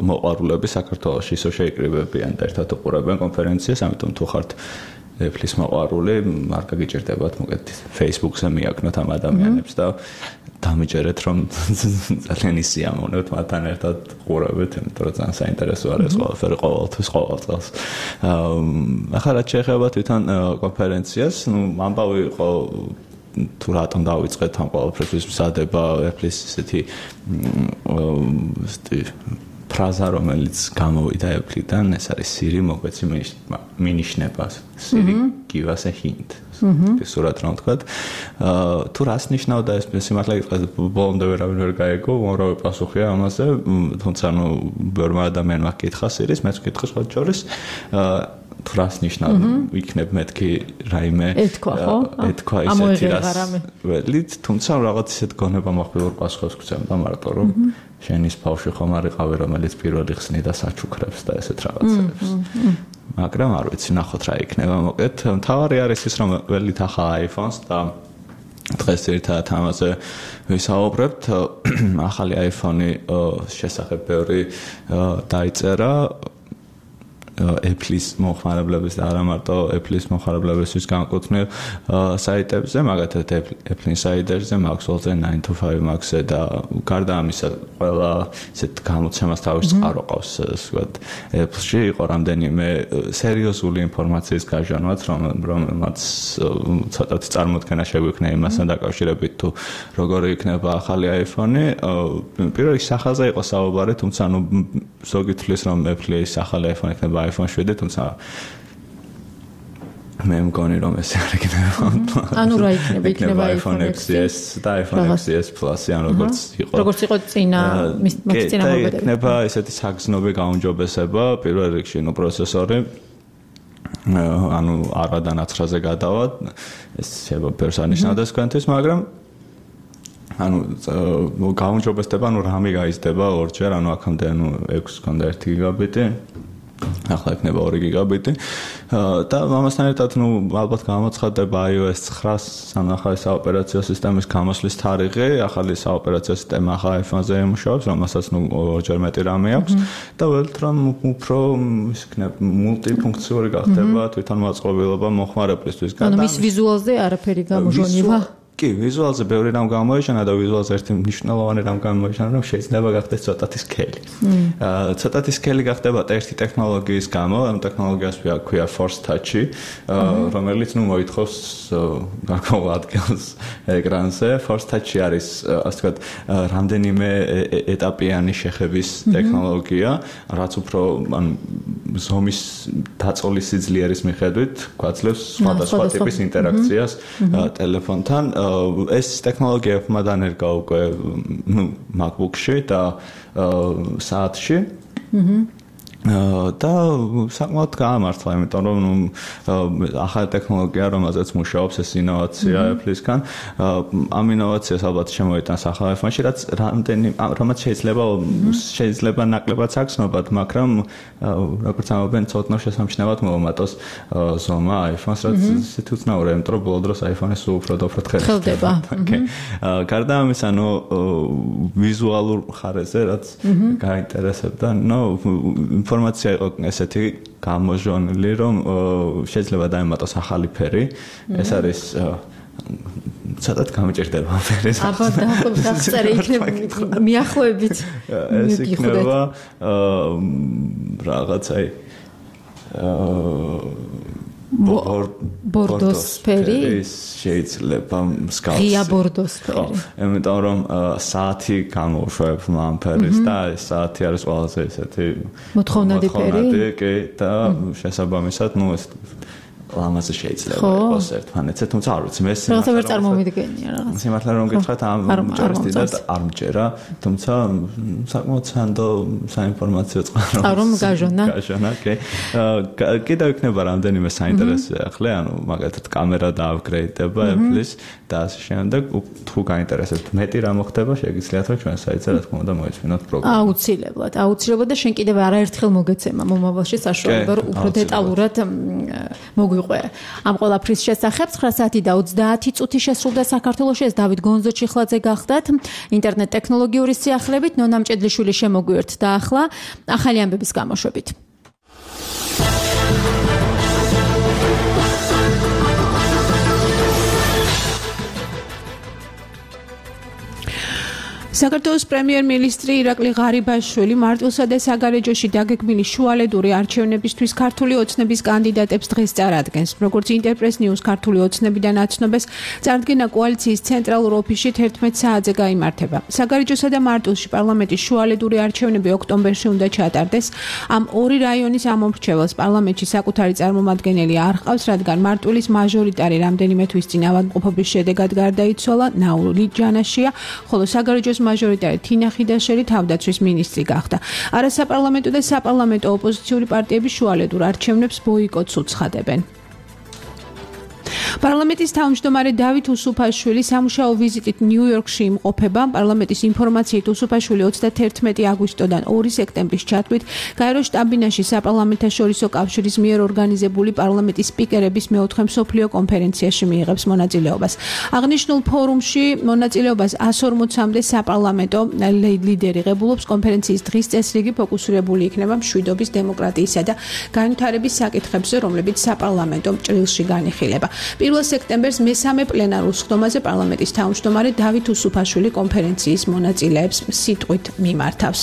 Speaker 13: მოყვარულები საქართველოში ისევ შეიკრიბებიან და ერთად უყურებენ კონფერენციას, ამიტომ თუ ხართ Apple-ის მოყვარული, არ გაგიჭირდებათ მოკეთ Facebook-ზე მიაკნოთ ამ ადამიანებს და დამიჯერეთ, რომ ძალიან ისიამოვნებთ მათთან ერთად ყურებით, იმიტომ რომ ძალიან საინტერესო არის ყველაფერი ყოველთვის ყოველ წელს. ახლა რაც შეეხება თვითონ კონფერენციას, ნუ ამბავი იყო თუ რატომ დავიწყეთ ამ ყველაფერს მზადება Apple-ის ესეთი ფრაზა რომელიც გამოვიდა Apple-დან ეს არის Siri მოგვეცი მინიშნება Siri give us a hint სურათ რომ თქვა თუ რას ნიშნავდა ეს სიმართლე გითხრათ ბოლომდე ვერავინ ვერ გაიგო უამრავი პასუხია ამაზე თუმცა ნუ ბევრმა ადამიანმა კითხა Siri-ს მეც ვკითხე სხვა შორის თუ რას ნიშნავდა იქნებ მეთქი რაიმე
Speaker 9: ეთქვა ხო
Speaker 13: ეთქვა ისეთი რას ველით თუმცა რაღაც ისეთ გონება მოხდეურ პასუხებს გცემდა მარტო რომ შენის ბავშვი ხომ არ იყავი რომელიც პირველი ხსნი და საჩუქრებს და ესეთ რაღაცებს მაგრამ არ ვიცი ნახოთ რა იქნება მოკეთ მთავარი არის ის რომ ველით ახლა iPhone-ს და დღეს ერთად ამაზე ვისაუბრებთ ახალი iPhone-ი შესახებ ბევრი დაიწერა Apple-ის მომხმარებლების და არა მარტო Apple-ის მომხმარებლებისთვის განკუთვნილ საიტებზე, მაგათაც Apple Insider-ზე, Maxwell-ზე, nine to five Max-ზე და გარდა ამისა, ყველა ისეთ გამოცემას თავის წყარო ყავს, ასე ვთქვათ, Apple-ში იყო რამდენიმე სერიოზული ინფორმაციის გაჟანვაც, რომელმაც ცოტათი წარმოდგენა შეგვექნა იმასთან დაკავშირებით, თუ როგორი იქნება ახალი iPhone-ი. პირველ რიგში სახაზე იყო საუბარი, თუმცა ნუ ზოგი თვლის, რომ Apple-ის ახალი iPhone იქნება iPhone seven, თუმცა მე მგონი რომ ეს არ იქნება.
Speaker 9: ანუ რა იქნება? იქნება
Speaker 13: iPhone X S და iPhone X S Plus-ი, ან როგორც იყო.
Speaker 9: როგორც იყო წინა მის წინა მოდელები.
Speaker 13: იქნება ესეთი საგრძნობი გაუმჯობესება, პირველ რიგში ნუ პროცესორი ანუ არადა ნაცრაზე გადავა, ეს შეიძლება პერსონიშნავდეს თქვენთვის, მაგრამ ანუ გაუმჯობესდება, ანუ რამე გაიზრდება ორჯერ, ანუ აქამდე ანუ ექვსი ქონდა ერთი გიგაბიტი. ახლა იქნება ორი გიგაბიტი და ამასთან ერთად ნუ ალბათ გამოცხადდება iOS nine ან ახალი საოპერაციო სისტემის გამოსვლის თარიღი, ახალი საოპერაციო სისტემა ახლა iPhone-ზე იმუშავებს, რომელსაც ნუ ორჯერ მეტი რამე აქვს და ველთ რომ უფრო ის იქნება მულტიფუნქციური გახდება თვითონ მოწყობილობა მომხმარებლისთვის.
Speaker 9: ანუ მის ვიზუალზე არაფერი გამოჟონივა?
Speaker 13: კი, ვიზუალზე ბევრი რამ გამოიშანა და ვიზუალზე ერთი მნიშვნელოვანი რამ გამოიშანა, რომ შეიძლება გახდეს ცოტათი სკელი. აა ცოტათი სკელი გახდება ერთი ტექნოლოგიის გამო, ამ ტექნოლოგიას ქვია Force Touch-ი, რომელიც ნუ მოითხოვს გარკვეულ ადგილს ეკრანზე. Force Touch-ი არის, ასე ვთქვათ, რამდენიმე ეტაპიანი შეხების ტექნოლოგია, რაც უფრო ან ზომის დაწოლის სიძლიერის მიხედვით გვაძლევს სხვადასხვა ტიპის ინტერაქციას ტელეფონთან. ეს ტექნოლოგია მადანერგა უკვე ნუ MacBook-ში და საათში. და საკმაოდ გაამართლა, იმიტომ რომ ახალი ტექნოლოგია, რომელზეც მუშაობს ეს ინოვაცია Apple-ისგან, ამ ინოვაციას ალბათ შემოიტანს ახალ iPhone-ში, რაც რამდენი რომელიც შეიძლება შეიძლება ნაკლებად საგრძნობად, მაგრამ როგორც ამბობენ, ცოტნო შესამჩნევად მოუმატოს ზომა iPhone-ს, რაც ისეთი უცნაურია, იმიტომ რომ ბოლო დროს iPhone-ი სულ უფრო და უფრო თხელდება. გარდა ამისა, ნუ ვიზუალურ ხარეზე, რაც გაინტერესებდა, ნუ ინფორმაცია იყო ესეთი გამოჟონილი, რომ შეიძლება დაემატოს ახალი ფერი. ეს არის სადაც გამჭირდება ფერის.
Speaker 9: აბა დაახწერე იქნება მიახლოებით.
Speaker 13: ეს იქნება რაღაც აი
Speaker 9: ბორდოსფერი
Speaker 13: შეიძლება მსგავსი.
Speaker 9: ღია ბორდოსფერი.
Speaker 13: იმიტომ რომ საათი გამოუშვებს ამ ფერის და ეს საათი არის ყველაზე ესეთი
Speaker 9: მოთხოვნადი ფერი.
Speaker 13: კი და შესაბამისად, ნუ ეს ლამაზი შეიძლება იყოს ერთმანეთზე, თუმცა არ ვიცი, მე ეს
Speaker 9: რაღაცა ვერ წარმოვიდგენია რაღაც.
Speaker 13: სიმართლე რომ გითხრათ, ამ ჯერს დიდად არ მჯერა, თუმცა საკმაოდ სანდო საინფორმაციო წყარო.
Speaker 9: რომ გაჟონა.
Speaker 13: გაჟონა, კი. კიდევ იქნება რამდენიმე საინტერესო ახლა, ანუ მაგალითად კამერა დააპგრეიდდება Apple-ის და ასე შემდეგ, თუ გაინტერესებთ მეტი რა მოხდება, შეგიძლიათ რომ ჩვენ საიტზე რა თქმა უნდა მოეწვინოთ პროგრამა.
Speaker 9: აუცილებლად, აუცილებლად და შენ კიდევ არაერთხელ მოგეცემა მომავალში საშუალება რომ უფრო დეტალურად მოგვი ამ ყველაფრის შესახებ ცხრა საათი და ოცდაათი წუთი შესრულდა საქართველოში. ეს დავით გონზოჩიხლაძე გახდათ ინტერნეტ ტექნოლოგიური სიახლებით. ნონა მჭედლიშვილი შემოგვიერთდა ახლა ახალი ამბების გამოშვებით.
Speaker 2: საქართველოს პრემიერ-მინისტრი ირაკლი ღარიბაშვილი მარტვილსა და საგარეჯოში დაგეგმილი შუალედური არჩევნებისთვის ქართული ოცნების კანდიდატებს დღეს წარადგენს. როგორც ინტერპრეს ნიუს ქართული ოცნებიდან აცნობეს, წარდგენა კოალიციის ცენტრალურ ოფისში თერთმეტ საათზე გაიმართება. საგარეჯოსა და მარტვილში პარლამენტის შუალედური არჩევნები ოქტომბერში უნდა ჩატარდეს. ამ ორი რაიონის ამომრჩეველს პარლამენტში საკუთარი წარმომადგენელი არ ჰყავს, რადგან მარტვილის მაჟორიტარი რამდენიმე თვის წინ ავადმყოფობის შედეგად გარდაიცვალა. ნაური ჯანაშია, ხოლო საგარეჯოს მაჟორიტარი თინა ხიდაშელი თავდაცვის მინისტრი გახდა. არასაპარლამენტო და საპარლამენტო ოპოზიციური პარტიები შუალედურ არჩევნებს ბოიკოტს უცხადებენ. პარლამენტის თავმჯდომარე დავით უსუფაშვილი სამუშაო ვიზიტით ნიუ-იორკში იმყოფება. პარლამენტის ინფორმაციით უსუფაშვილი ოცდათერთმეტი აგვისტოდან ორი სექტემბრის ჩათვლით გაერო შტაბ-ბინაში საპარლამენტაშორისო კავშირის მიერ ორგანიზებული პარლამენტის სპიკერების მეოთხე მსოფლიო კონფერენციაში მიიღებს მონაწილეობას. აღნიშნულ ფორუმში მონაწილეობას ას ორმოცამდე საპარლამენტო ლიდერი ღებულობს. კონფერენციის დღის წესრიგი ფოკუსირებული იქნება მშვიდობის, დემოკრატიისა და განვითარების საკითხებზე, რომლებიც საპარლამენტო ჭრილში განიხილება. პირველ სექტემბერს მესამე პლენარულ სხდომაზე პარლამენტის თავმჯდომარე დავით უსუფაშვილი კონფერენციის მონაწილეებს სიტყვით მიმართავს.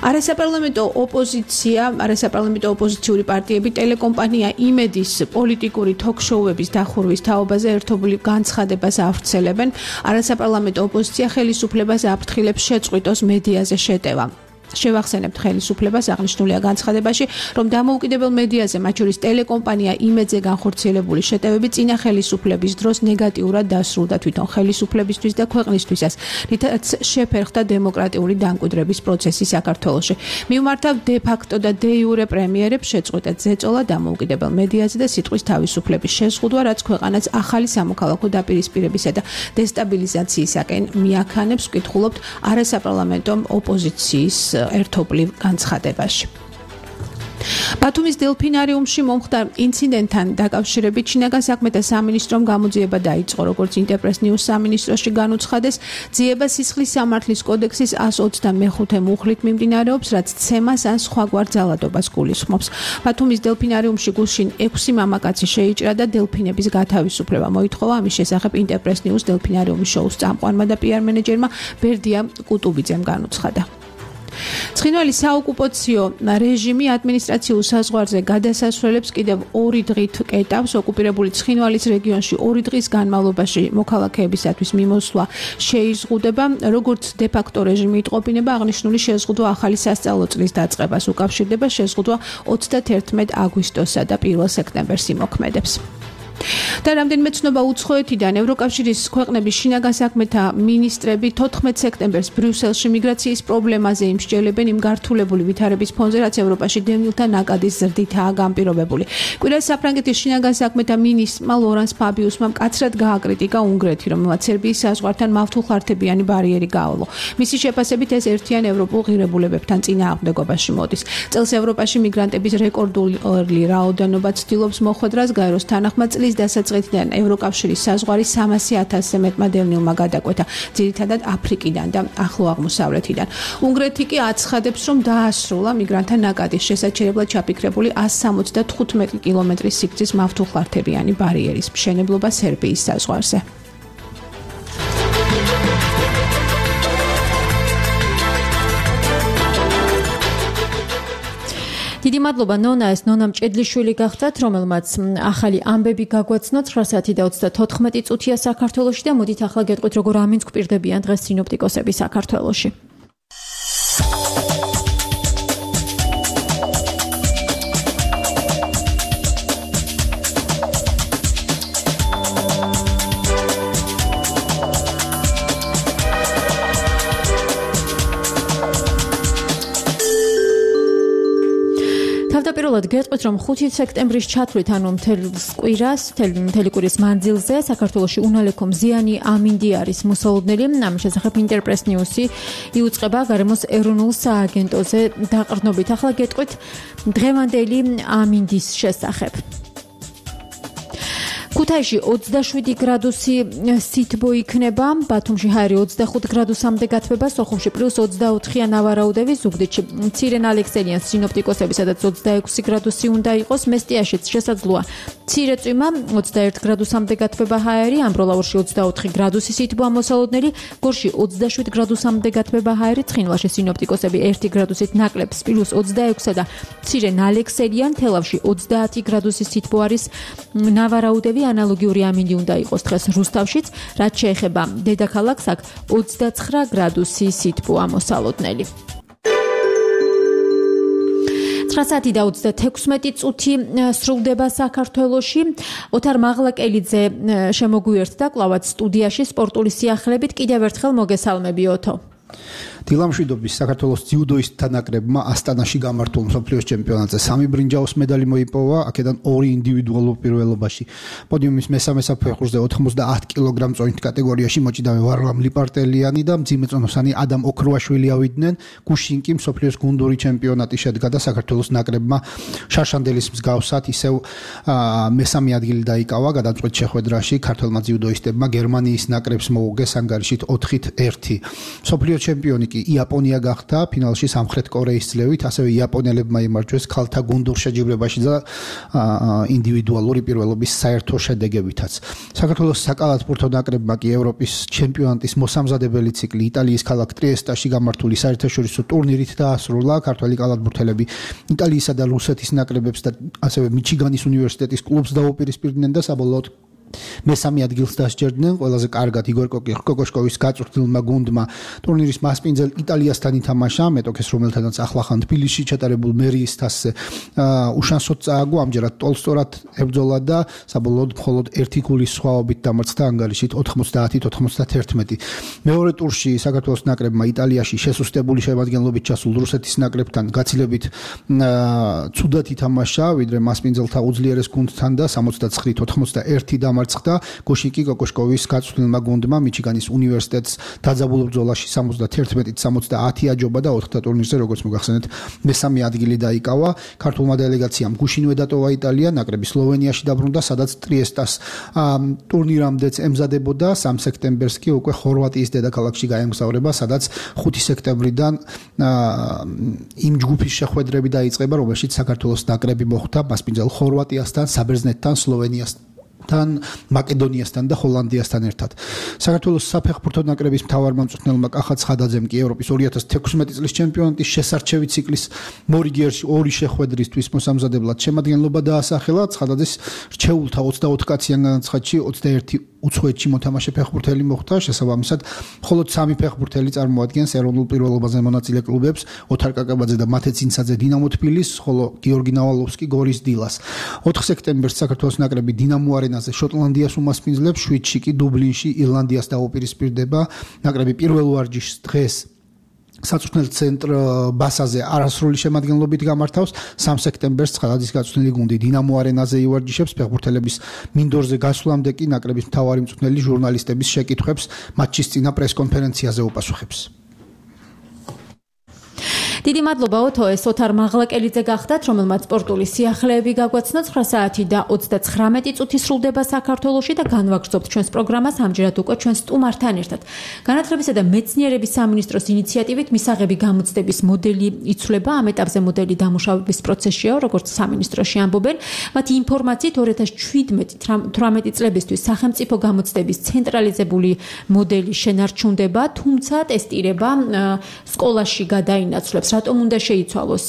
Speaker 2: არასაპარლამენტო ოპოზიცია, არასაპარლამენტო ოპოზიციური პარტიები ტელეკომპანია იმედის პოლიტიკური თოქ-შოუების დახურვის თაობაზე ერთობლივ განცხადებას ავრცელებენ. არასაპარლამენტო ოპოზიცია ხელისუფლებას აფრთხილებს შეწყვიტოს მედიაზე შეტევა. შევახსენებთ ხელისუფლებას აღნიშნულია განცხადებაში, რომ დამოუკიდებელ მედიაზე, მათ შორის ტელეკომპანია იმედზე განხორციელებული შეტევები წინა ხელისუფლების დროს ნეგატიურად დასრულდა თვითონ ხელისუფლებისთვის და ქვეყნისთვისაც, რითაც შეფერხდა დემოკრატიული დამკვიდრების პროცესი საქართველოში. მიუმართავ დე-ფაქტო და დე-იურე პრემიერებს შეწყვეტეთ ზეწოლა დამოუკიდებელ მედიაზე და სიტყვის თავისუფლების შეზღუდვა, რაც ქვეყანას ახალი სამოქალაქო დაპირისპირებისა და დესტაბილიზაციისაკენ მიაქანებს, ვკითხულობთ არასაპარლამენტო ოპოზიციის ერთობლივ განცხადებაში. ბათუმის დელფინარიუმში მომხდარ ინციდენტთან დაკავშირებით შინაგან საქმეთა სამინისტრომ გამოძიება დაიწყო, როგორც ინტერპრეს ნიუს სამინისტროში განუცხადეს. ძიება სისხლის სამართლის კოდექსის ას ოცდამეხუთე მუხლით მიმდინარეობს, რაც ცემას ან სხვაგვარ ძალადობას გულისხმობს. ბათუმის დელფინარიუმში გულშინ ექვსი მამაკაცი შეიჭრა და დელფინების გათავისუფლება მოითხოვა. ამის შესახებ ინტერპრეს ნიუს დელფინარიუმის შოუს წამყვანმა და პიარ მენეჯერმა ბერდია კუტუბიძემ განუცხადა. ცხინვალის საოკუპაციო რეჟიმი ადმინისტრაციულ საზღვარზე გადასასვლელებს კიდევ ორი დღით კეტავს. ოკუპირებული ცხინვალის რეგიონში ორი დღის განმავლობაში მოქალაქეებისათვის მიმოსვლა შეიზღუდება. როგორც დე-ფაქტო რეჟიმი იტყობინება, აღნიშნული შეზღუდვა ახალი სასწავლო წლის დაწყებას უკავშირდება. შეზღუდვა ოცდათერთმეტ აგვისტოსა და პირველ სექტემბერს იმოქმედებს. და რამდენიმე ცნობა უცხოეთიდან ევროკავშირის ქვეყნების შინაგან საქმეთა მინისტრები თოთხმეტ სექტემბერს ბრიუსელში მიგრაციის პრობლემაზე იმსჯელებენ იმ გართულებული ვითარების ფონზე, რაც ევროპაში დევნილთა ნაკადის ზრდითაა განპირობებული. კვირას საფრანგეთის შინაგან საქმეთა მინისტრმა ლორანს ფაბიუსმა მკაცრად გააკრიტიკა უნგრეთი, რომელმაც სერბიის საზღვართან მავთულხარდებიანი ბარიერი გაავლო. მისი შეფასებით ეს ერთიან ევროპულ ღირებულებებთან წინააღმდეგობაში მოდის. წელს ევროპაში მიგრანტების რეკორდული რაოდენობა ცდილობს მოხვედრას გაეროს თანახმად წლის დასაწყისიდან ევროკავშირის საზღვარი სამასი ათასზე მეტმა დევნილმა გადაკვეთა, ძირითადად აფრიკიდან და ახლო აღმოსავლეთიდან. უნგრეთი კი აცხადებს, რომ დაასრულა მიგრანტთა ნაკადის შესაჩერებლად ჩაფიქრებული ასი სამოცდათხუთმეტი კილომეტრის სიგრძის მავთულხარდებიანი ბარიერის მშენებლობა სერბიის საზღვარზე.
Speaker 9: დიდი მადლობა ნონა, ეს ნონა მჭედლიშვილი გახდათ, რომელმაც ახალი ამბები გაგვაცნო ცხრა საათი და ოცდათოთხმეტი წუთია საქართველოში და მოდით ახლა გეტყვით, როგორ ამინს გვპირდებიან დღეს სინოპტიკოსები საქართველოში. თავდაპირველად გეტყვით, რომ ხუთი სექტემბრის ჩათვლით, ანუ მთელს კვირას, მთელი კვირის მანძილზე საქართველოში უნალექო მზიანი ამინდი არის მოსალოდნელი. ამის შესახებ ინტერპრეს ნიუსი იუწყება გარემოს ეროვნულ სააგენტოზე დაყრდნობით. ახლა გეტყვით დღევანდელი ამინდის შესახებ. ქუთაისში ოცდაშვიდი გრადუსი სითბო იქნება, ბათუმში ჰაერი ოცდახუთ გრადუსამდე გათბება, სოხუმში პლუს ოცდაოთხია ნავარაუდები, ზუგდიდში მცირე ნალექსელიან სინოპტიკოსები, სადაც ოცდაექვსი გრადუსი უნდა იყოს, მესტიაშიც შესაძლოა მცირე წვიმა, ოცდაერთ გრადუსამდე გათბება ჰაერი, ამბროლაურში ოცდაოთხი გრადუსი სითბო ამოსალოდნელი, გორში ოცდაშვიდ გრადუსამდე გათბება ჰაერი, ცხინვალში სინოპტიკოსები ერთი გრადუსით ნაკლებს, პლუს ოცდაექვსა და მცირე ნალექსელიან, თელავში ოცდაათი გრადუსი სითბო არის ნავარაუდები. ანალოგიური ამინდი უნდა იყოს დღეს რუსთავშიც, რაც შეეხება დედაქალაქს, აქ ოცდაცხრა გრადუსი სითბო ამოსალოდნელი. ცხრა საათი და ოცდათექვსმეტი წუთი სრულდება საქართველოში. ოთარ მაღლაკელიძე შემოგვიერთდა კლავაც სტუდიაში სპორტული სიახლებით. კიდევ ერთხელ მოგესალმები ოთო.
Speaker 14: დილამშვიდობის საქართველოს ძიუდოისტთა ნაკრებმა ასტანაში გამართულ მსოფლიოს ჩემპიონატზე სამი ბრინჯაოს медаლი მოიპოვა, აქედან ორი ინდივიდუალურ პირველობაში. პოდიუმის მესამე საფეხურზე ოთხმოცდაათ კილოგრამ წონით კატეგორიაში მოჭიდავე ვარლამ ლიპარტელიანი და მძიმეწონოსანი ადამ ოქროაშვილი ავიდნენ. გუშინ კი მსოფლიოს გუნდური ჩემპიონატი შედგა და საქართველოს ნაკრებმა შარშანდელის მსგავსად ისევ მესამე ადგილი დაიკავა გადამწყვეტ შეხვედრაში. ქართველმა ძიუდოისტებმა გერმანიის ნაკრებს მოუგეს ანგარიშით ოთხით ერთი. მსოფლიოს ჩემპიონი იაპონია გახდა ფინალში სამხრეთ კორეის ძლევით, ასევე იაპონელებმა იმარჯვეს ქალთა გუნდურ შეჯიბრებაში და ინდივიდუალური პირველობის საერთო შედეგებითაც. საქართველოს საკალათბურთო ნაკრებმა კი ევროპის ჩემპიონატის მოსამზადებელი ციკლი იტალიის ქალაქ ტრიესტაში გამართული საერთაშორისო ტურნირით დაასრულა. ქართველი კალათბურთელები იტალიისა და რუსეთის ნაკრებებს და ასევე მიჩიგანის უნივერსიტეტის კლუბს დაუპირისპირდნენ და საბოლოოდ მესამე ადგილს დასჯერდნენ. ყველაზე კარგად იგორ კოკოშკოვის გაწვრთნილმა გუნდმა ტურნირის მასპინძელ იტალიასთან ითამაშა, მეტოქეს რომელთანაც ახლახან თბილისში ჩატარებულ მერიის თასზე უშანსოდ წააგო, ამჯერად ტოლსტორად ებრძოლა და საბოლოოდ მხოლოდ ერთი გოლის სხვაობით დამარცხდა ანგარიშით ოთხმოცდაათით ოცდათერთმეტი. მეორე ტურში საქართველოს ნაკრებმა იტალიაში შესუსტებული შემადგენლობით ჩასულ რუსეთის ნაკრებთან გაცილებით ცუდად ითამაშა, ვიდრე მასპინძელთა უძლიერეს გუნდთან და სამოცდაცხრით ოთხმოცდაერთი დამარცხდა. გუშინ კი კოკოშკოვის გაწვრთნილმა გუნდმა მიჩიგანის უნივერსიტეტს დაძაბულ ბრძოლაში სამოცდათერთმეტით სამოცდაათი აჯობა და ოთხთა ტურნირზე, როგორც მოგახსენეთ, მესამე ადგილი დაიკავა. ქართულმა დელეგაციამ გუშინვე დატოვა იტალია, ნაკრები სლოვენიაში დაბრუნდა, სადაც ტრიესტას ტურნირამდეც ემზადებოდა. სამი სექტემბერს კი უკვე ხორვატიის დედაქალაქში გაემგზავრება, სადაც ხუთი სექტემბრიდან იმ ჯგუფის შეხვედრები დაიწყება, რომელშიც საქართველოს ნაკრები მოხვდა მასპინძელ ხორვატიასთან, საბერძნეთთან, სლოვენიასთან თან მაკედონიასთან და ჰოლანდიასთან ერთად. საქართველოს საფეხბურთო ნაკრების მთავარმა მწვრთნელმა კახა ცხადაძემ კი ევროპის ორი ათას თექვსმეტი წლის ჩემპიონატის შესარჩევი ციკლის მორიგიერში ორი შეხვედრისთვის მოსამზადებლად შემადგენლობა დაასახელა. ცხადაძეს რჩეულთა ოცდაოთხ კაციან განაცხადში ოცდაერთი უცხოეთში მოთამაშე ფეხბურთელი მოხდა, შესაბამისად, მხოლოდ სამი ფეხბურთელი წარმოადგენს ეროვნულ პირველობაზე მონაწილე კლუბებს, ოთარ კაკაბაძე და მათე ცინცაძე დინამო თბილისს, ხოლო გიორგი ნავალოვსკი გორის დილას. ოთხ სექტემბერს საქართველოს ნაკრები დინამო არენაზე შოტლანდიას უმასპინძლებს, შვიდში კი დუბლინში ირლანდიას დაუპირისპირდება. ნაკრები პირველ ვარჯიშს დღეს საწვრთნელ ცენტრ ბასაზე არასრული შემადგენლობით გამართავს. სამ სექტემბერს ცხადადის გაწვრთნილი გუნდი დინამო არენაზე ივარჯიშებს. ფეხბურთელების მინდორზე გასვლამდე კი ნაკრების მთავარი მწვრთნელი ჟურნალისტების შეკითხვებს მატჩის წინა პრესკონფერენციაზე უპასუხებს.
Speaker 9: დიდი მადლობა ოთო, ეს ოთარ მაღლაკელიძე გახდათ, რომელმაც სპორტული სიახლეები გაგვაცნო. ცხრა საათი და ოცდაცხრამეტი წუთი სრულდება საქართველოში და განვაგრძობთ ჩვენს პროგრამას ამჯერად უკვე ჩვენ სტუმართან ერთად. განათლებისა და მეცნიერების სამინისტროს ინიციატივით მისაღები გამოცდების მოდელი იცვლება. ამ ეტაპზე მოდელი დამუშავების პროცესშია, როგორც სამინისტროში ამბობენ. მათი ინფორმაციით ორი ათას თვრამეტი წლებისთვის სახელმწიფო გამოცდების ცენტრალიზებული მოდელი შენარჩუნდება, თუმცა ტესტირება სკოლაში გადაინაცვლებს. რატომ უნდა შეიცვალოს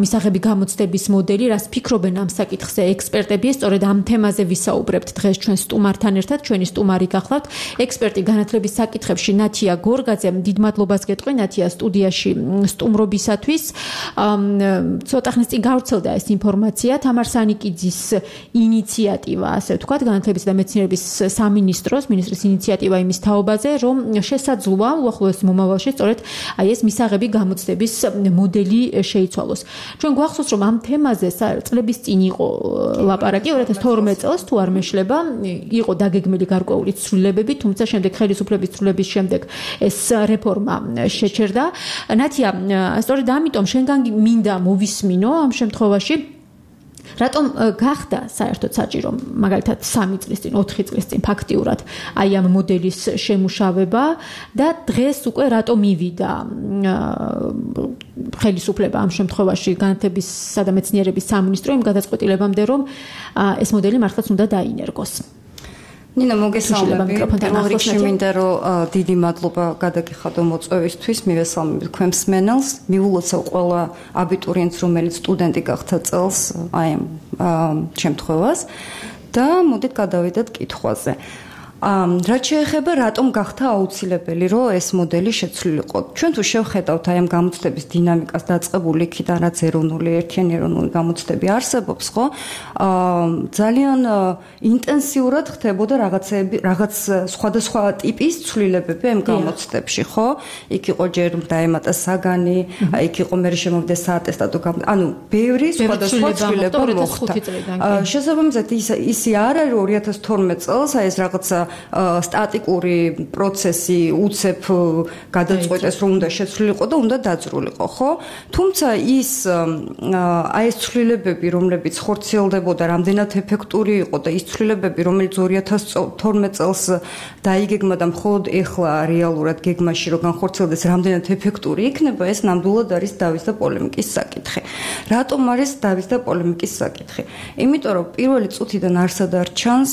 Speaker 9: მისაღები გამოცდების მოდელი, რას ფიქრობენ ამ საკითხზე ექსპერტები? სწორედ ამ თემაზე ვისაუბრებთ დღეს ჩვენ სტუმართან ერთად. ჩვენი სტუმარი გახლავთ ექსპერტი განათლების საკითხებში ნათია გორგაძე. დიდ მადლობას გეტყვი ნათია სტუდიაში სტუმრობისათვის. ცოტა ხნის წინ გავრცელდა ეს ინფორმაცია, თამარ სანიკიძის ინიციატივა, ასე ვთქვათ, განათლების და მეცნიერების სამინისტროს მინისტრის ინიციატივა იმის თაობაზე, რომ შესაძლოა უახლოეს მომავალში სწორედ აი ეს მისაღები გამოცდების მოდელი შეიცვალოს. ჩვენ გვახსოვს, რომ ამ თემაზე წლების წინ იყო ლაპარაკი, ორი ათას თორმეტ წელს თუ არ მეშლება, იყო დაგეგმილი გარკვეული ცვლილებები, თუმცა შემდეგ ხელისუფლების ცვლილების შემდეგ ეს რეფორმა შეჩერდა. ნათია, სწორედ ამიტომ შენგან მინდა მოვისმინო ამ შემთხვევაში რატომ გახდა საერთოდ საჭირო მაგალითად სამი წლის წინ, ოთხი წლის წინ ფაქტიურად აი ამ მოდელის შემუშავება და დღეს უკვე რატომ მივიდა ხელისუფლება ამ შემთხვევაში განათლებისა და მეცნიერების სამინისტრო იმ გადაწყვეტილებამდე, რომ ეს მოდელი მართლაც უნდა დაინერგოს.
Speaker 15: ნინა, მოგესალმები. პირველ რიგში მინდა რომ დიდი მადლობა გადაგიხადო მოწვევისთვის, მივესალმები თქვენ მსმენელს, მიულოცავ ყველა აბიტურიენტს, რომელიც სტუდენტი გახდა წელს აი ამ შემთხვევას და მოდით გადავიდეთ კითხვაზე. რაც შეეხება რატომ გახდა აუცილებელი რომ ეს მოდელი შეცვლილიყო. ჩვენ თუ შევხედავთ აი ამ გამოცდების დინამიკას დაწყებული იქიდან, რაც ეროვნული ერთიანი ეროვნული გამოცდები არსებობს, ხო? ძალიან ინტენსიურად ხდებოდა რაღაცები, რაღაც სხვადასხვა ტიპის ცვლილებები ამ გამოცდებში, ხო? იქ იყო ჯერ დაემატა საგანი, იქ იყო მე შემოვიდა საატესტატო გამოცდა. ანუ ბევრი სხვადასხვა ცვლილება მოხდა. შესაბამისად ის ისი არ არის ორი ათას თორმეტ წელს აი ეს რაღაცა სტატიკური პროცესი უცებ გადაწყვეტეს, რომ უნდა შეცვლილიყო და უნდა დაძრულიყო, ხო? თუმცა ის აი ეს ცვლილებები, რომლებიც ხორციელდებოდა, რამდენად ეფექტური იყო და ის ცვლილებები, რომელიც ორი ათას თორმეტ წელს დაიგეგმა და მხოლოდ ეხლა რეალურად გეგმაში რომ განხორციელდეს, რამდენად ეფექტური იქნება, ეს ნამდვილად არის დავის და პოლემიკის საკითხი. რატომ არის დავის და პოლემიკის საკითხი? იმიტომ რომ პირველი წუთიდან არსად არ ჩანს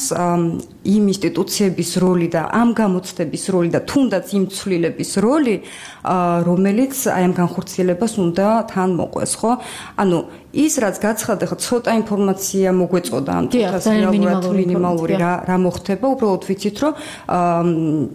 Speaker 15: იმ ინსტიტუციების როლი და ამ გამოცდების როლი და თუნდაც იმ ცვლილების როლი, რომელიც აი ამ განხორციელებას უნდა თან მოყვეს, ხო? ანუ ის რაც გაცხადდა, ხო, ცოტა ინფორმაცია მოგვეწოდა ამ თვითას რეალურად მინიმალური რა რა მოხდება, უბრალოდ ვიცით, რომ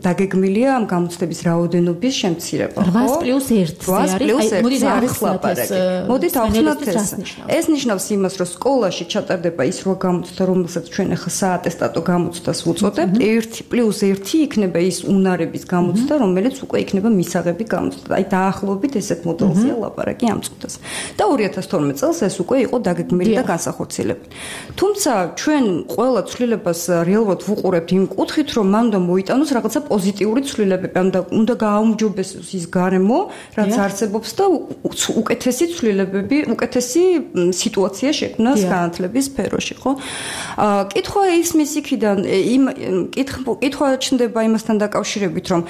Speaker 15: დაგეგმილია ამ გამოცდების რაოდენობის შემცირება, ხო?
Speaker 9: რვას პლუს ერთი არის. აი, მოდით
Speaker 15: ახსნათ ეს. მოდით ახსნათ ეს. ეს ნიშნავს იმას, რომ სკოლაში ჩატარდება ის რო გამოცდა, რომელსაც ჩვენ ახლა საატესტატო გამოცდას ვუწოდებთ, ერთი პლუს ერთი იქნება ის უნარების გამოცდა, რომელიც უკვე იქნება მისაღები გამოცდა. აი, დაახლოებით ესეთ მოდელზეა ლაპარაკი ამ წუთას. და ორი ათას თორმეტ წელს ეს უკვე იყო დაგეგმილი და განსახორციელებელი. თუმცა ჩვენ ყველა ცვლილებას რეალურად ვუყურებთ იმ კუთხით, რომ მან უნდა მოიტანოს რაღაცა პოზიტიური ცვლილებები, ანუ უნდა გააუმჯობესოს ის გარემო, რაც არსებობს და უკეთესი ცვლილებები, უკეთესი სიტუაცია შექმნას განათლების სფეროში, ხო? კითხვა ისმის იქიდან, იმ კითხვა ჩნდება იმასთან დაკავშირებით, რომ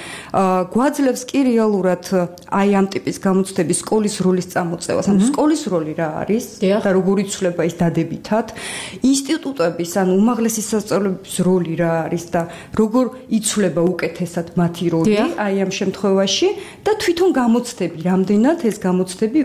Speaker 15: გვაძლევს კი რეალურად აი ამ ტიპის გამოცდების სკოლის როლის წამოწევას, ანუ სკოლის როლი რა არის? და როგორ იცვლება ის დადებითად, ინსტიტუტების ან უმაღლესი სასწავლებლების როლი რა არის და როგორ იცვლება უკეთესად მათი როლი აი ამ შემთხვევაში და თვითონ გამოცდები, რამდენად ეს გამოცდები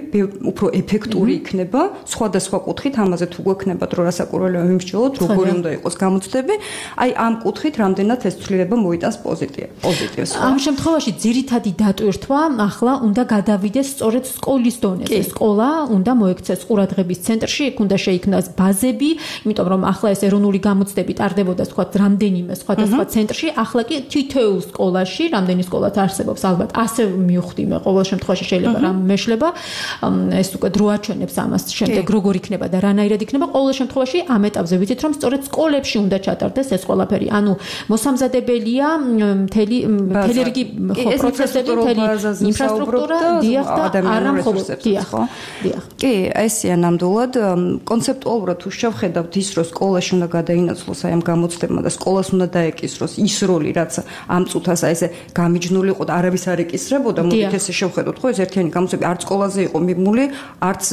Speaker 15: უფრო ეფექტური იქნება, სხვადასხვა კუთხით ამაზე თუ გვექნება დრო რასაკურველია ვიმსჯელოთ, როგორი უნდა იყოს გამოცდები, აი ამ კუთხით რამდენად ეს ცვლილება მოიტანს პოზიტივს.
Speaker 9: ამ შემთხვევაში ძირითადი დატვირთვა ახლა უნდა გადავიდეს სწორედ სკოლის დონეზე. სკოლა უნდა მოექცეს ყურადღების ცენტრში, იქ უნდა შეიქმნას ბაზები, იმიტომ რომ ახლა ეს ეროვნული გამოცდები ტარდებოდა თქვა რამდენიმე სხვადასხვა ცენტრში, ახლა კი თითოეულ სკოლაში, რამდენი სკოლაც არსებობს, ალბათ ასე მივხვდი მე ყოველ შემთხვევაში შეიძლება რამ მეშლება, ეს უკვე დრო აჩვენებს ამას შემდეგ როგორ იქნება და რანაირად იქნება. ყოველ შემთხვევაში ამ ეტაპზე ვიცით რომ სწორედ სკოლებში უნდა ჩატარდეს ეს ყველაფერი. ანუ მოსამზადებელია მთელი მთელი რიგი პროცესები, მთელი ინფრასტრუქტურა, დიახ და არა მხოლოდ დიახ. დიახ.
Speaker 15: კი, ესეა ნამდვილად კონცეპტუალურად თუ შევხედავთ ის რომ სკოლაში უნდა გადაინაცვლოს აი ამ გამოცდებმა და სკოლას უნდა დაეკისროს ის როლი რაც ამ წუთას აი ესე გამიჯნული იყო და არავის არ ეკისრებოდა, მოდით ესე შევხედოთ ხო ეს ერთიანი გამოცდები არც სკოლაზე იყო მიმული, არც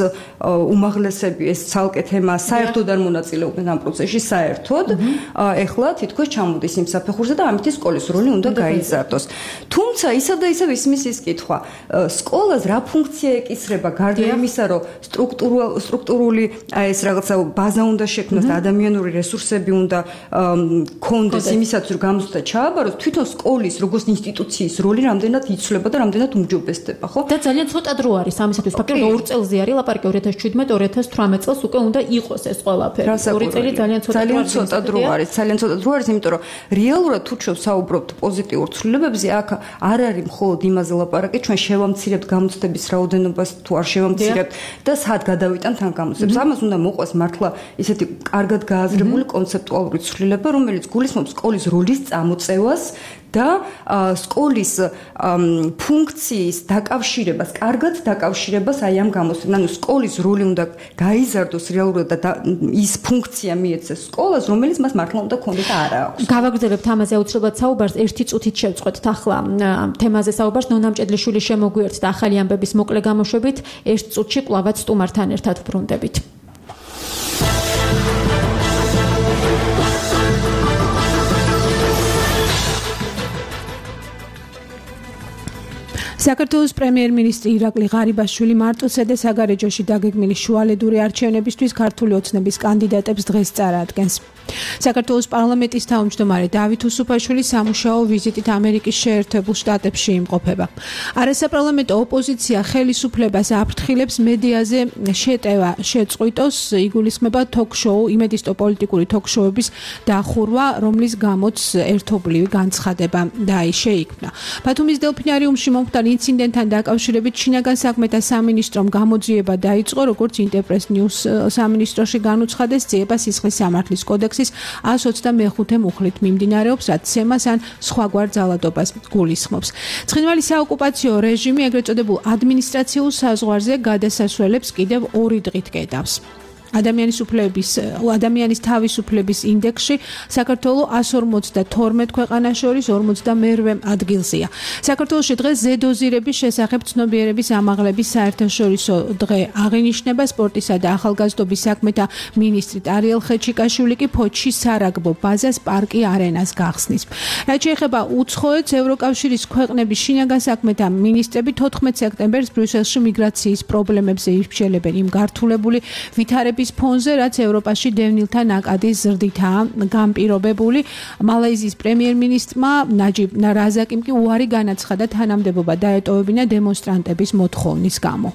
Speaker 15: უმაღლესები ეს ცალკე თემა საერთოდ არ მონაწილეობენ ამ პროცესში საერთოდ. ეხლა თითქოს ჩამოდის იმ საფეხურზე და ამით სკოლის როლი უნდა გაიზარდოს. თუმცა ისა და ისევ ისმის ის კითხვა, სკოლას რა ფუნქცია ეკისრება გარდა იმისა, რომ სტრუქტურული ეს რაღაცა ბაზა უნდა შექმნას და ადამიანური რესურსები უნდა ქონდეს იმისათვის, რომ გამოცდა ჩააბაროს, თვითონ სკოლის როგორც ინსტიტუციის როლი რამდენად იცვლება და რამდენად უმჯობესდება, ხო?
Speaker 9: და ძალიან ცოტა დრო არის ამისათვის, ფაქტობრივად ორ წელზე არის ლაპარაკი ორი ათას შვიდმეტ ორი ათას თვრამეტ წელს უკვე უნდა იყოს ეს ყველაფერი. ორი წელი ძალიან ცოტა
Speaker 15: ძალიან ცოტა დრო არის, ძალიან ცოტა დრო არის, იმიტომ რომ რეალურად თუ ჩვენ საუბრობთ პოზიტიურ ცვლილებებზე, აქ არ არის მხოლოდ იმაზე ლაპარაკი, ჩვენ შევამცირებთ გამოცდების რაოდენობას თუ არ შევამცირებთ და სად გადავიტანთ ამ გამოცდებს. ამას უნდა მოყვას მართლა ისეთი კარგად გააზრებული კონცეპტუალური ცვლილება, რომელიც გულისხმობს სკოლის როლის წამოწევას და სკოლის ფუნქციის დაკავშირებას, კარგად დაკავშირებას აი ამ გამოცდებთან. ანუ სკოლის როლი უნდა გაიზარდოს რეალურად და ის ფუნქცია მიეცეს სკოლას, რომელიც მას მართლა უნდა ქონდეს და არა აქვს.
Speaker 9: გავაგრძელებთ ამაზე აუცილებლად საუბარს, ერთი წუთით შევწყვეტთ ახლა თემაზე საუბარს. ნონა მჭედლიშვილი შემოგვიერთდა ახალი ამბების მოკლე გამოშვებით, ერთ წუთში კვლავაც სტუმართან ერთად ვბრუნდებით.
Speaker 2: საქართველოს პრემიერ-მინისტრი ირაკლი ღარიბაშვილი მარტოსა და საგარეჯოში დაგეგმილი შუალედური არჩევნებისთვის ქართული ოცნების კანდიდატებს დღეს წარადგენს. საქართველოს პარლამენტის თავმჯდომარე დავით უსუფაშვილი სამუშაო ვიზიტით ამერიკის შეერთებულ შტატებში იმყოფება. არასაპარლამენტო ოპოზიცია ხელისუფლებას აფრთხილებს მედიაზე შეტევა შეწყვიტოს, იგულისხმება თოქ-შოუ, იმედისტო პოლიტიკური თოქ-შოუების დახურვა, რომლის გამოც ერთობლივი განცხადება შეიქმნა. ბათუმის დელფინარიუმში მომხდარ ინციდენტთან დაკავშირებით შინაგან საქმეთა სამინისტრომ გამოძიება დაიწყო, როგორც ინტერპრეს ნიუს სამინისტროში განუცხადეს, ძიება სისხლის სამართლის კოდექსის ას ოცდამეხუთე მუხლით მიმდინარეობს, რაც ცემას ან სხვაგვარ ძალადობას გულისხმობს. ცხინვალის საოკუპაციო რეჟიმი ეგრეთ წოდებულ ადმინისტრაციულ საზღვარზე გადასასვლელებს კიდევ ორი დღით კედავს. ადამიანის უფლებების ადამიანის თავისუფლების ინდექსში საქართველო ას ორმოცდათორმეტ ქვეყანას შორის ორმოცდამერვე ადგილზეა. საქართველოში დღეს ზედოზირების შესახებ ცნობიერების ამაღლების საერთაშორისო დღე აღინიშნება. სპორტისა და ახალგაზრდობის საქმეთა მინისტრი ტარიელ ხეჩიკაშვილი კი ფოთში სარაგბო ბაზას პარკი არენას გახსნის. რაც შეეხება უცხოეთს, ევროკავშირის ქვეყნების შინაგან საქმეთა მინისტრები თოთხმეტ სექტემბერს ბრიუსელში მიგრაციის პრობლემებზე ირჩელებენ იმ გართულებული ვითარების ფონზე, რაც ევროპაში დევნილთა ნაკადის ზრდითაა განპირობებული. მალაიზიის პრემიერ-მინისტრმა ნაჯიბ რაზაკიმ კი უარი განაცხადა თანამდებობა დაეტოვებინა დემონსტრანტების მოთხოვნის გამო.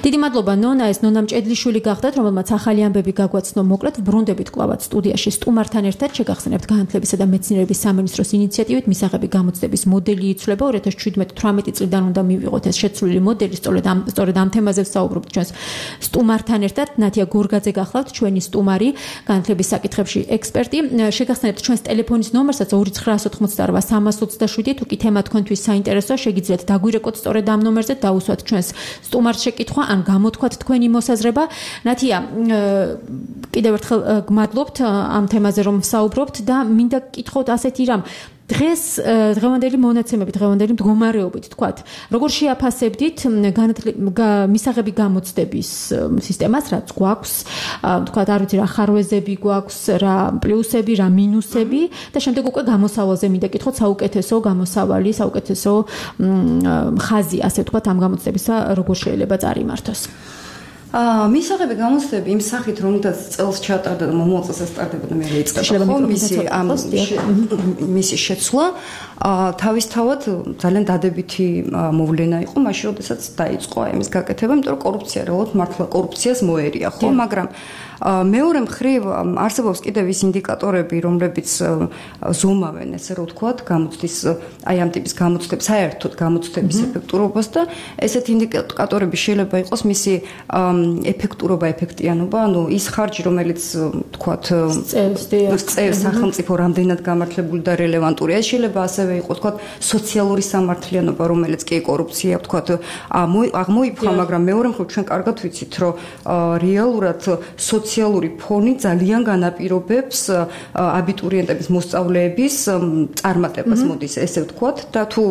Speaker 2: დიდი მადლობა ნონა, ეს ნონა მჭედლიშვილი გახდათ, რომელმაც ახალი ამბები გაგვაცნო. მოკლედ ბრუნდებით კვლავაც სტუდიაში სტუმართან ერთად შეგახსენებთ განათლებისა და მეცნიერების სამინისტროს ინიციატივით მისაღები გამოცდების მოდელი იცვლება. ორი ათას შვიდმეტ თვრამეტი წლიდან უნდა მივიღოთ ეს შეცვლილი მოდელი, სწორედ ამ სწორედ ამ თემაზე ვსაუბრობთ ჩვენს სტუმართან ერთად. ნათია გორგაძე გახლავთ, ჩვენი სტუმარი, განათლების საკითხებში ექსპერტი. შეგახსენებთ ჩვენს ტელეფონის ნომერსაც ორი ცხრაას ოთხმოცდაარბა სამას ოცდაშვიდი. თუ კი თემა თქვენთვის საინტერესოა, შეგიძლიათ დაგვირეკოთ სწორედ ამ ნომერზე, დაუსვათ ჩვენს სტუმარს შეკითხვა ან გამოთქვათ თქვენი მოსაზრება. ნათია, კიდევ ერთხელ გმადლობთ ამ თემაზე რომ ვსაუბრობთ და მინდა გკითხოთ ასეთი რამ.
Speaker 9: დღეს დღევანდელი მონაცემები, დღევანდელი მდგომარეობით, თქვათ, როგორ შეაფასებდით მისაღები გამოცდების სისტემას, რაც გვაქვს, თქვათ, არ ვიცი რა ხარვეზები გვაქვს, რა პლუსები, რა მინუსები და შემდეგ უკვე გამოსავალზე მინდა კითხოთ საუკეთესო გამოსავალი, საუკეთესო ხაზი, ასე ვთქვათ, ამ გამოცდებისა როგორ შეიძლება წარიმართოს.
Speaker 15: აა მისაღები გამოცდები იმ სახით რომელთაც წელს ჩატარდა და მომავალ წელს სტარტდებოდა მე რეიწყება ხო მისი ამ მისი შეცვლა აა თავისთავად ძალიან დადებითი მოვლენა იყო მაშინ როდესაც დაიწყო ამის გაკეთება იმიტომ რომ კორუფცია რეალურად მართლა კორუფციას მოერია ხო მაგრამ მეორე მხრივ არსებობს კიდევ ის ინდიკატორები რომლებიც ზომავენ ესე რომ ვთქვათ გამოცდის აი ამ ტიპის გამოცდების საერთოდ გამოცდების ეფექტურობას და ესეთ ინდიკატორები შეიძლება იყოს მისი ეფექტურობა, ეფექტიანობა, ანუ ის ხარჯი, რომელიც თქვათ, წევს სახელმწიფო რამდენად გამართლებული და რელევანტურია, შეიძლება ასევე იყოს, თქვათ, სოციალური სამართლიანობა, რომელიც კი კორუფცია, თქვათ, აღმოიფხა, მაგრამ მეორე მხრივ ჩვენ კარგად ვიცით, რომ რეალურად სოციალური ფონი ძალიან განაპირობებს აბიტურიენტების მოსწავლეების წარმატებას, მოდის ესე ვთქვათ, და თუ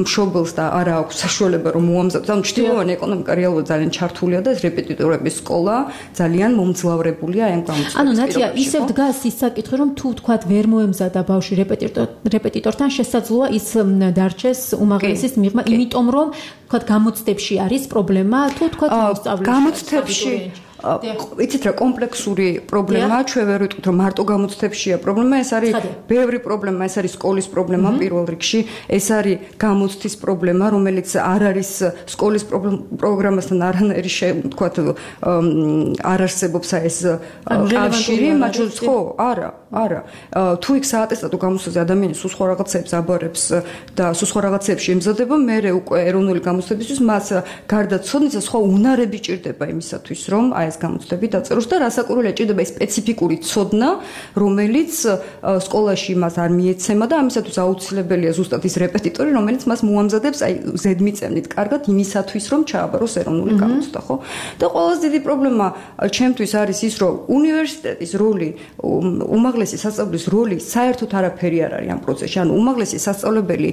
Speaker 15: მშობელს და არა აქვს საშუალება რომ მოამზადოს, ანუ ჩრდილოვანი ეკონომიკა რეალურად ძალიან ჩართულია და ეს რეპეტიტორების სკოლა ძალიან მომძლავრებულია აი ამ გამოცდების.
Speaker 9: ანუ ნათია ისევ დგას ის საკითხი რომ თუ თქვათ ვერ მოემზადა ბავშვი რეპეტიტორ რეპეტიტორთან შესაძლოა ის დარჩეს უმაღლესის მიღმა, იმიტომ რომ თქვათ გამოცდებში არის პრობლემა, თუ თქვათ მოსწავლეში
Speaker 15: გამოცდებში იცით რა კომპლექსური პრობლემაა ჩვენ ვერ ვიტყვით რომ მარტო გამოცდებშია პრობლემა ეს არის ბევრი პრობლემა ეს არის სკოლის პრობლემა პირველ რიგში ეს არის გამოცდის პრობლემა რომელიც არ არის სკოლის პროგრამასთან არანაირი თქვათ არ არსებობს ეს კავშირი მათ შორის ხო არა არა თუ იქ საატესტატო გამოცდაზე ადამიანი სულ სხვა რაღაცებს აბარებს და სულ სხვა რაღაცებში ემზადება მე უკვე ეროვნული გამოცდებისთვის მას გარდა ცოდნისა სხვა უნარები ჭირდება იმისათვის რომ აი ეს გამოცდები დაწეროს და რასაკვირველია ჭირდება ეს სპეციფიკური ცოდნა რომელიც სკოლაში მას არ მიეცემა და ამისათვის აუცილებელია ზუსტად ის რეპეტიტორი რომელიც მას მოამზადებს აი ზედმიწევნით კარგად იმისათვის რომ ჩააბაროს ეროვნული გამოცდა ხო და ყველაზე დიდი პრობლემა ჩემთვის არის ის რომ უნივერსიტეტის როლი უმაღლესი სასწავლებლის როლი საერთოდ არაფერი არ არის ამ პროცესში ანუ უმაღლესი სასწავლებელი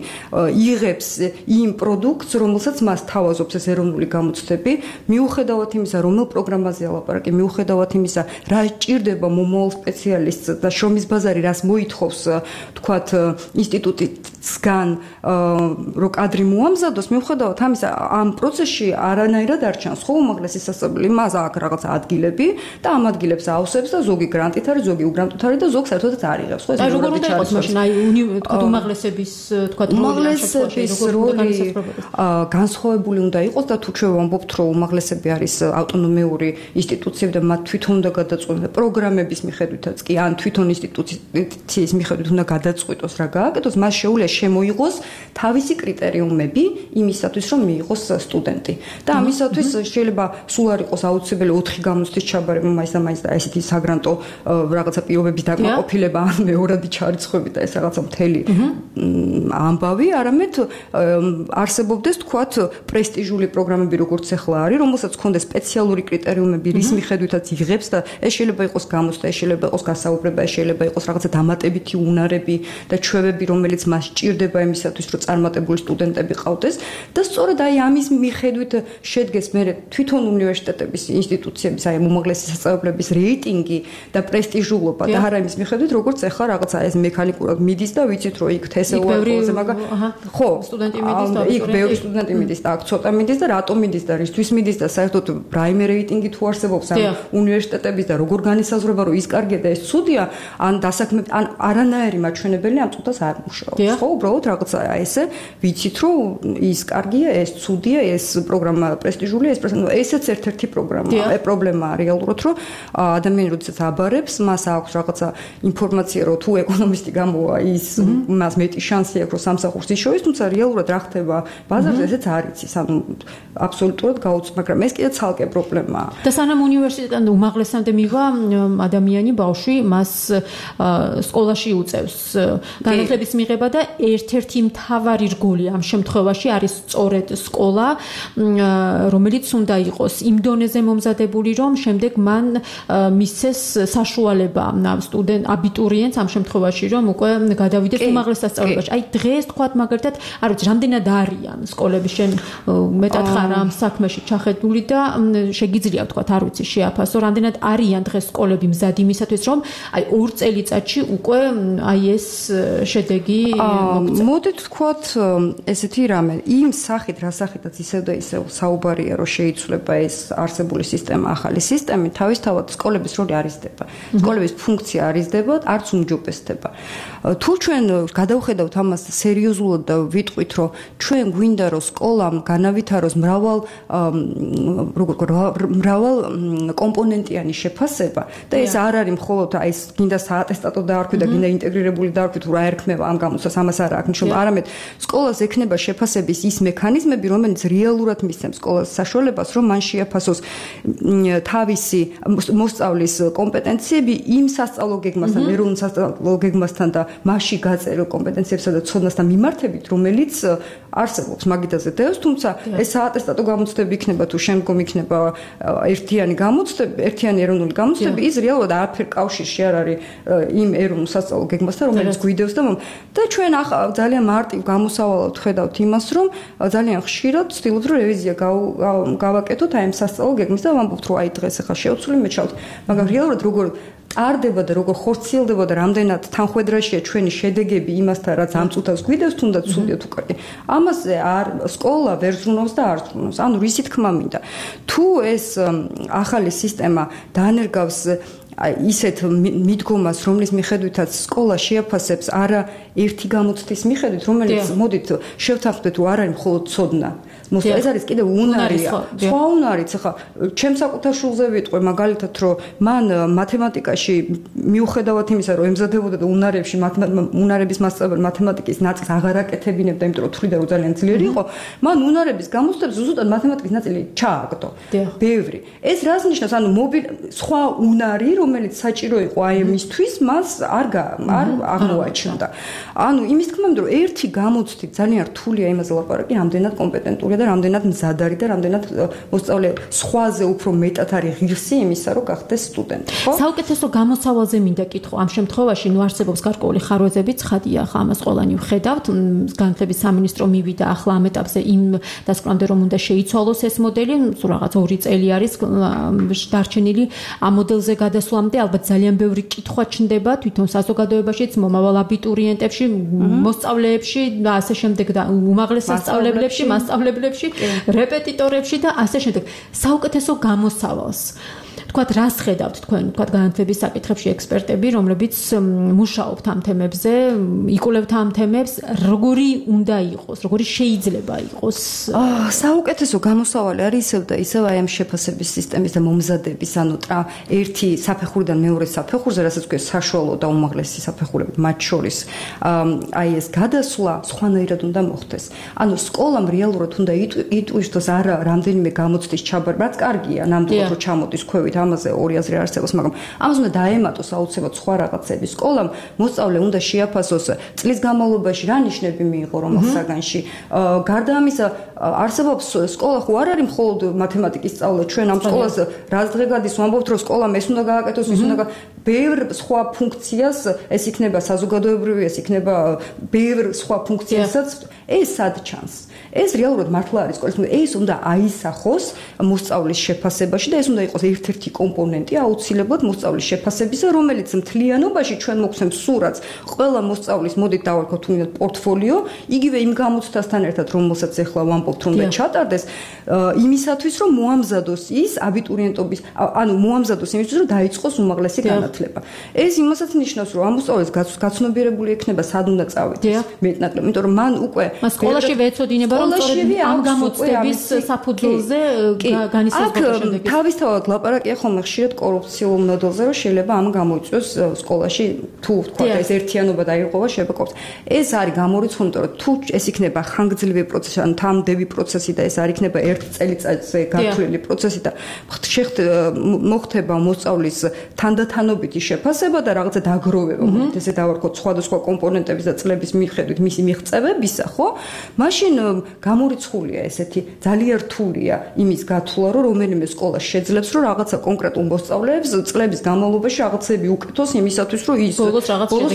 Speaker 15: იღებს იმ პროდუქტს რომელსაც მას თავაზობს ეს ეროვნული გამოცდები მიუხედავად იმისა რომელ პროგრამაზე ალაპარაკი მიუხედავად იმისა რა ჭირდება მომავალ სპეციალისტს და შრომის ბაზარი რას მოითხოვს თქვათ ინსტიტუტისგან რო კადრი მოამზადოს მიუხედავად ამისა ამ პროცესში არანაირად არ ჩანს ხო უმაღლესი სასწავლებელი მას აქვს რაღაც ადგილები და ამ ადგილებს აავსებს და ზოგი გრანტით არის ზოგი უგრანტით არის და ზოგს საერთოდაც არ იღებს ხო ეს
Speaker 9: როგორ უნდა იყოს მაშინ აი თქვათ უმაღლესების თქვათ
Speaker 15: უმაღლესების როლი განსხვავებული უნდა იყოს და თუ ჩვენ ვამბობთ რომ უმაღლესები არის ავტონომიური ინსტიტუციები და მათ თვითონ უნდა გადაწყვეტონ და პროგრამების მიხედვითაც კი ან თვითონ ინსტიტუციის მიხედვით უნდა გადაწყვეტოს რა გააკეთოს მას შეუძლია შემოიღოს თავისი კრიტერიუმები იმისათვის რომ მიიღოს სტუდენტი და ამისათვის შეიძლება სულ არ იყოს აუცილებელი ოთხი გამოცდის ჩაბარება მაინც და მაინც და ესეთი საგრანტო რაღაცა პირობების დაკმაყოფილება ან მეორადი ჩარიცხვები და ეს რაღაცა მთელი ამბავი არამედ არსებობდეს თქვათ პრესტიჟული პროგრამები როგორც ახლა არის რომელსაც ჰქონდეს სპეციალური კრიტერიუმები რის მიხედვითაც იღებს და ეს შეიძლება იყოს გამოცდა ეს შეიძლება იყოს გასაუბრება ეს შეიძლება იყოს რაღაცა დამატებითი უნარები და ჩვევები რომელიც მას ჭირდება იმისათვის რომ წარმატებული სტუდენტები ყავდეს და სწორედ აი ამის მიხედვით შედგეს მე თვითონ უნივერსიტეტების ინსტიტუციების აი უმაღლესი სასწავლებლების რეიტინგი და პრესტიჟულობა და არა იმის მიხედვით როგორც ახლა რაღაცა ეს მექანიკურად მიდის და ვიცით რომ იქ თესეუა ყველაზე მაგა ხო
Speaker 9: სტუდენტი მიდის და
Speaker 15: იქ ბევრი სტუდენტი მიდის და აქ ცოტა მიდის და რატომ მიდის და რისთვის მიდის და საერთოდ პრაიმ რეიტინგი თუ არსებობს ამ უნივერსიტეტების და როგორ განისაზღვრება რომ ის კარგია და ეს ცუდია ან დასაქმებით ან არანაირი მაჩვენებელი ამ წუთას არ მუშაობს ხო უბრალოდ რაღაცა ესე ვიცით რომ ის კარგია ეს ცუდია ეს პროგრამა პრესტიჟულია ეს ესეც ერთ-ერთი პროგრამაა ეს პრობლემაა რეალურად რომ ადამიანი როდესაც აბარებს მას აქვს რაღაცა ინფორმაცია რომ თუ ეკონომისტი გამოვა ის მას მეტი შანსი აქვს რომ სამსახურს იშოვის თუმცა რეალურად რა ხდება ბაზარზე ესეც არ იცის ანუ აბსოლუტურად გაუცნობ მაგრამ ეს კიდე ცალკე პრობლემაა
Speaker 9: და სანამ უნივერსიტეტიდან უმაღლესამდე მივა ადამიანი ბავშვი მას სკოლაში უწევს განათლების მიღება და ერთ-ერთი მთავარი რგოლი ამ შემთხვევაში არის სწორედ სკოლა, რომელიც უნდა იყოს იმ დონეზე მომზადებული, რომ შემდეგ მან მისცეს საშუალება სტუდენტ აბიტურიენტს ამ შემთხვევაში, რომ უკვე გადავიდეს უმაღლეს სასწავლებელში. აი დღეს თქვათ მაგალითად, არ ვიცი, რამდენად არიან სკოლები შენ მეტად ხარ ამ საქმეში ჩახედული და შეგიძლია თქვათ, არ ვიცი, შეაფასო, რამდენად არიან დღეს სკოლები მზად იმისათვის, რომ აი ორ წელიწადში უკვე აი ეს შედეგი მოგწევს.
Speaker 15: მოდით თქვათ ესეთი რამე, იმ სახით, რა სახითაც ისევ და ისევ საუბარია, რომ შეიცვლება ეს არსებული სისტემა ახალი სისტემით, თავისთავად სკოლების როლი არიზდება. სკოლების ფუნქცია არიზდება, არც უმჯობესდება. თუ ჩვენ გადავხედავთ ამას სერიოზულად და ვიტყვით, რომ ჩვენ გვინდა რომ სკოლამ განავითაროს მრავალ როგორ მრავალ კომპონენტიანი შეფასება და ეს არ არის მხოლოდ აი ეს გინდა საატესტატო დაარქვი და გინდა ინტეგრირებული დაარქვი თუ რა ერქმევა ამ გამოცდას, ამას არ აქვს ნიშნობა, არამედ სკოლას ექნება შეფასების ის მექანიზმები, რომელიც რეალურად მისცემს სკოლას საშუალებას, რომ მან შეაფასოს თავისი მოსწავლის კომპეტენციები იმ სასწავლო გეგმასთან, ეროვნულ სასწავლო გეგმასთან და მასში გაწერილ კომპეტენციებსა და ცოდნასთან მიმართებით, რომელიც არსებობს მაგიდაზე დევს, თუმცა ეს საატესტატო გამოცდები იქნება თუ შემდგომ იქნება ერთიანი გამოცდები, ერთიანი ეროვნული გამოცდები, ის რეალურად არაფერ კავშირში არ არის იმ ეროვნულ სასწავლო გეგმასთან, რომელიც გვიდევს და და ჩვენ ძალიან მარტივ გამოსავალად ხედავთ იმას, რომ ძალიან ხშირად ვცდილობთ, რომ რევიზია გავაკეთოთ აი ამ სასწავლო გეგმის და ვამბობთ, რომ აი დღეს ახლა შევცვლი მეჩავთ, მაგრამ რეალურად როგორ ტარდება და როგორ ხორციელდება და რამდენად თანხვედრაშია ჩვენი შედეგები იმასთან, რაც ამ წუთას გვიდევს, თუნდაც ცუდია თუ კარგი. ამაზე არ სკოლა ვერ ზრუნავს და არ ზრუნავს. ანუ რისი თქმა მინდა. თუ ეს ახალი სისტემა დაანერგავს ისეთ მიდგომას, რომლის მიხედვითაც სკოლა შეაფასებს არა ერთი გამოცდის მიხედვით, რომელიც მოდით შევთანხმდეთ, თუ არ არის მხოლოდ ცოდნა. ეს არის კიდევ უნარია. სხვა უნარიც, ხა, ჩემ საკუთარ შულზე ვიტყვი მაგალითად, რომ მან მათემატიკაში მიუხედავად იმისა, რომ ემზადებოდა და უნარებში უნარების მასწავლებელი მათემატიკის ნაწილს აღარ აკეთებინებდა, იმიტომ რომ თვლიდა, რომ ძალიან ძლიერი იყო, მან უნარების გამოცდებს ზუსტად მათემატიკის ნაწილი ჩააგდო. ბევრი. ეს რას ნიშნავს? ანუ სხვა უნარი, რომელიც საჭირო იყო აი ამისთვის, მას არ არ აღმოაჩნდა. ანუ იმის თქმა მინდა, რომ ერთი გამოცდით ძალიან რთულია იმაზე ლაპარაკი, რამდენად კომპეტენტურია და რამდენად მზად არის და რამდენად მოსწავლე სხვაზე უფრო მეტად არის ღირსი იმისა, რომ გახდეს სტუდენტი, ხო?
Speaker 9: საუკეთესო გამოსავალზე მინდა კითხო. ამ შემთხვევაში ნუ არსებობს გარკვეული ხარვეზები, ცხადია, ხა ამას ყველანი ვხედავთ. განათლების სამინისტრო მივიდა ახლა ამ ეტაპზე იმ დასკვნამდე, რომ უნდა შეიცვალოს ეს მოდელი, სულ რაღაც ორი წელი არის დარჩენილი ამ მოდელზე გადასვლამდე. ალბათ ძალიან ბევრი კითხვა ჩნდება თვითონ საზოგადოებაშიც, მომავალ აბიტურიენტებში, მოსწავლეებში და ასე შემდეგ და უმაღლეს სასწავლებლებში, მასწავლებლებში, რეპეტიტორებში და ასე შემდეგ. საუკეთესო გამოსავალს თქვათ, რას ხედავთ თქვენ, თქვათ, განათლების საკითხებში ექსპერტები, რომლებიც მუშაობთ ამ თემებზე, იკვლევთ ამ თემებს, როგორი უნდა იყოს, როგორი შეიძლება იყოს?
Speaker 15: საუკეთესო გამოსავალი არის ისევ და ისევ აი ამ შეფასების სისტემის და მომზადების, ანუ ერთი საფეხურიდან მეორე საფეხურზე, რასაც ქვია საშუალო და უმაღლესი საფეხურები, მათ შორის აი ეს გადასვლა სხვანაირად უნდა მოხდეს. ანუ სკოლამ რეალურად უნდა იტვირთოს არა რამდენიმე გამოცდის ჩაბარება, რაც კარგია, ნამდვილად რომ ჩამოდის ქვევით ამაზე ორი აზრი არსებობს, მაგრამ ამას უნდა დაემატოს აუცილებლად სხვა რაღაცები. სკოლამ მოსწავლე უნდა შეაფასოს წლის განმავლობაში რა ნიშნები მიიღო რომელ საგანში. გარდა ამისა, არსებობს სკოლა ხო არ არის მხოლოდ მათემატიკის სწავლა. ჩვენ ამ სკოლას რაც დღე გადის, ვამბობთ, რომ სკოლამ ეს უნდა გააკეთოს, ის უნდა ბევრ სხვა ფუნქციას, ეს იქნება საზოგადოებრივი, ეს იქნება ბევრ სხვა ფუნქციასაც, ეს სად ჩანს? ეს რეალურად მართლა არის სკოლის, ეს უნდა აისახოს მოსწავლის შეფასებაში და ეს უნდა იყოს ერთ-ერთი კომპონენტი აუცილებლად მოსწავლის შეფასებისა, რომელიც მთლიანობაში ჩვენ მოგცემს სურათს ყველა მოსწავლის, მოდით დავარქოთ თუნდაც პორტფოლიო, იგივე იმ გამოცდასთან ერთად, რომელსაც ახლა ვამბობთ, რომ უნდა ჩატარდეს, იმისათვის, რომ მოამზადოს ის აბიტურიენტობის, ანუ მოამზადოს იმისთვის, რომ დაიწყოს უმაღლესი განათლება. ეს იმასაც ნიშნავს, რომ ამ მოსწავლეს გაცნობიერებული ექნება, სად უნდა წავიდეს მეტნაკლებ, იმიტომ რომ მან უკვე
Speaker 9: სკოლაში ვეცოდინება, რომ
Speaker 15: სკოლაშივე
Speaker 9: ამ გამოცდების საფუძველზე განისაზღვრება შედეგი.
Speaker 15: თავისთავად ლაპარაკია ხოლმე ხშირად კორუფციულ მოდელზე, რომ შეიძლება ამ გამოიწვიოს სკოლაში თუ თქვა ეს ერთიანობა დაიღობა შეიძლება კორუფცია. ეს არის გამორიცხული, იმიტომ რომ თუ ეს იქნება ხანგრძლივი პროცესი, ან თამდები პროცესი და ეს არ იქნება ერთ წელიწადზე გათვლილი პროცესი და მოხდება მოსწავლის თანდათანობითი შეფასება და რაღაცა დაგროვება, მოკლედ ესე დავარქოთ სხვადასხვა კომპონენტების და წლების მიხედვით მისი მიღწევებისა, ხო? მაშინ გამორიცხულია ესეთი ძალიან რთულია იმის გათვლა, რომ რომელიმე სკოლა შეძლებს, რომ რაღაცა კონკრეტულ მოსწავლეებს წლების განმავლობაში რაღაცები უკეთოს იმისათვის, რომ ის
Speaker 9: ბოლოს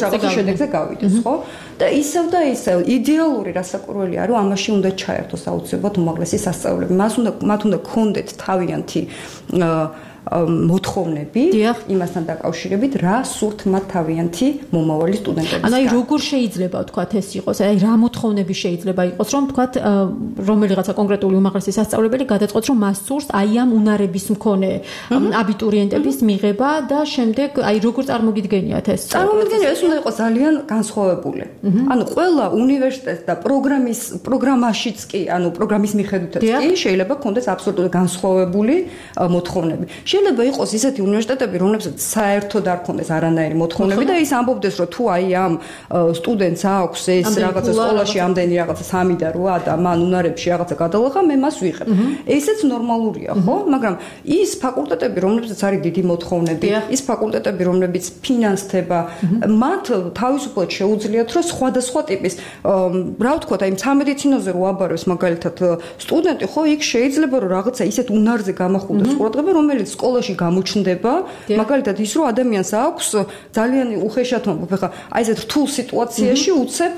Speaker 9: რაღაცა
Speaker 15: შედეგზე გავიდეს, ხო? და ისევ და ისევ იდეალური რასაკვირველია, რომ ამაში უნდა ჩაერთოს აუცილებლად უმაღლესი სასწავლებელი. მას უნდა მათ უნდა კონდეთ თავიანთი მოთხოვნები იმასთან დაკავშირებით, რა სურთ მათ თავიანთი მომავალი სტუდენტების.
Speaker 9: ანუ აი როგორ შეიძლება ვთქვათ ეს იყოს, აი რა მოთხოვნები შეიძლება იყოს, რომ ვთქვათ რომელიღაცა კონკრეტული უმაღლესი სასწავლებელი გადაწყვეტს, რომ მას სურს აი ამ უნარების მქონე აბიტურიენტების მიღება და შემდეგ აი როგორ წარმოგიდგენიათ ეს?
Speaker 15: წარმოგიდგენია, ეს უნდა იყოს ძალიან განსხვავებული. ანუ ყველა უნივერსიტეტს და პროგრამის პროგრამაშიც კი, ანუ პროგრამის მიხედვითაც კი შეიძლება ქონდეს აბსოლუტურად განსხვავებული მოთხოვნები. შეიძლება იყოს ისეთი უნივერსიტეტები, რომლებსაც საერთოდ არ ქონდეს არანაირი მოთხოვნები და ის ამბობდეს, რომ თუ აი ამ სტუდენტს აქვს ეს რაღაცა სკოლაში ამდენი რაღაცა სამი და რვა და მან უნარებში რაღაცა გადალახა, მე მას ვიღებ. ესეც ნორმალურია, ხო? მაგრამ ის ფაკულტეტები, რომლებსაც არის დიდი მოთხოვნები, ის ფაკულტეტები, რომლებიც ფინანსდება, მათ თავისუფლად შეუძლიათ, რომ სხვადასხვა ტიპის, რა ვთქვათ, აი სამედიცინოზე რო აბარებს მაგალითად სტუდენტი, ხო, იქ შეიძლება რომ რაღაცა ისეთ უნარზე გამახვილდეს ყურადღება, რომელიც სკოლაში გამოჩნდება, მაგალითად ის რომ ადამიანს აქვს ძალიან უხეშად მომბობ, ხა აი ესეთ რთულ სიტუაციაში უცებ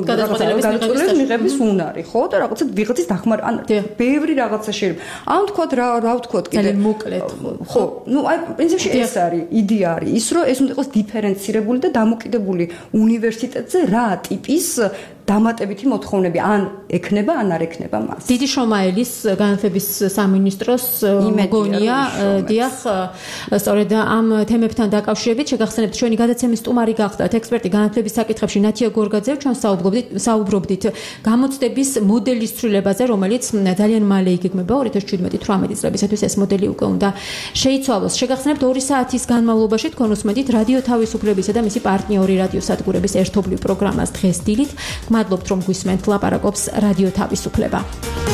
Speaker 15: გადაწყვეტილების მიღების უნარი, ხო? და რაღაცა ვიღაცის დახმარ, ან ბევრი რაღაცა შეიძლება. ან თქვათ რა რა ვთქვათ კიდე
Speaker 9: ძალიან მოკლედ,
Speaker 15: ხო? ნუ აი პრინციპში ეს არის, იდეა არის ის, რომ ეს უნდა იყოს დიფერენცირებული და დამოკიდებული უნივერსიტეტზე რა ტიპის დამატებითი მოთხოვნები ან ექნება, ან არ ექნება მას.
Speaker 9: დიდი შრომაელის განათლების სამინისტროს მოგონია, დიახ, სწორედ ამ თემებთან დაკავშირებით შეგახსენებთ ჩვენი გადაცემის სტუმარი გახდათ ექსპერტი განათლების საკითხებში ნათია გორგაძე, ჩვენ საუბრობდით საუბრობდით გამოცდების მოდელის ცვლილებაზე, რომელიც ძალიან მალე იგეგმება ორი ათას შვიდმეტი თვრამეტი წლებისათვის ეს მოდელი უკვე უნდა შეიცვალოს. შეგახსენებთ ორი საათის განმავლობაში თქვენ უსმენთ რადიო თავისუფლებისა და მისი პარტნიორი რადიო სადგურების ერთობლივ პროგრამას დღეს დილით. მადლობთ რომ გვისმენთ ლაპარაკობს რადიო თავისუფლება.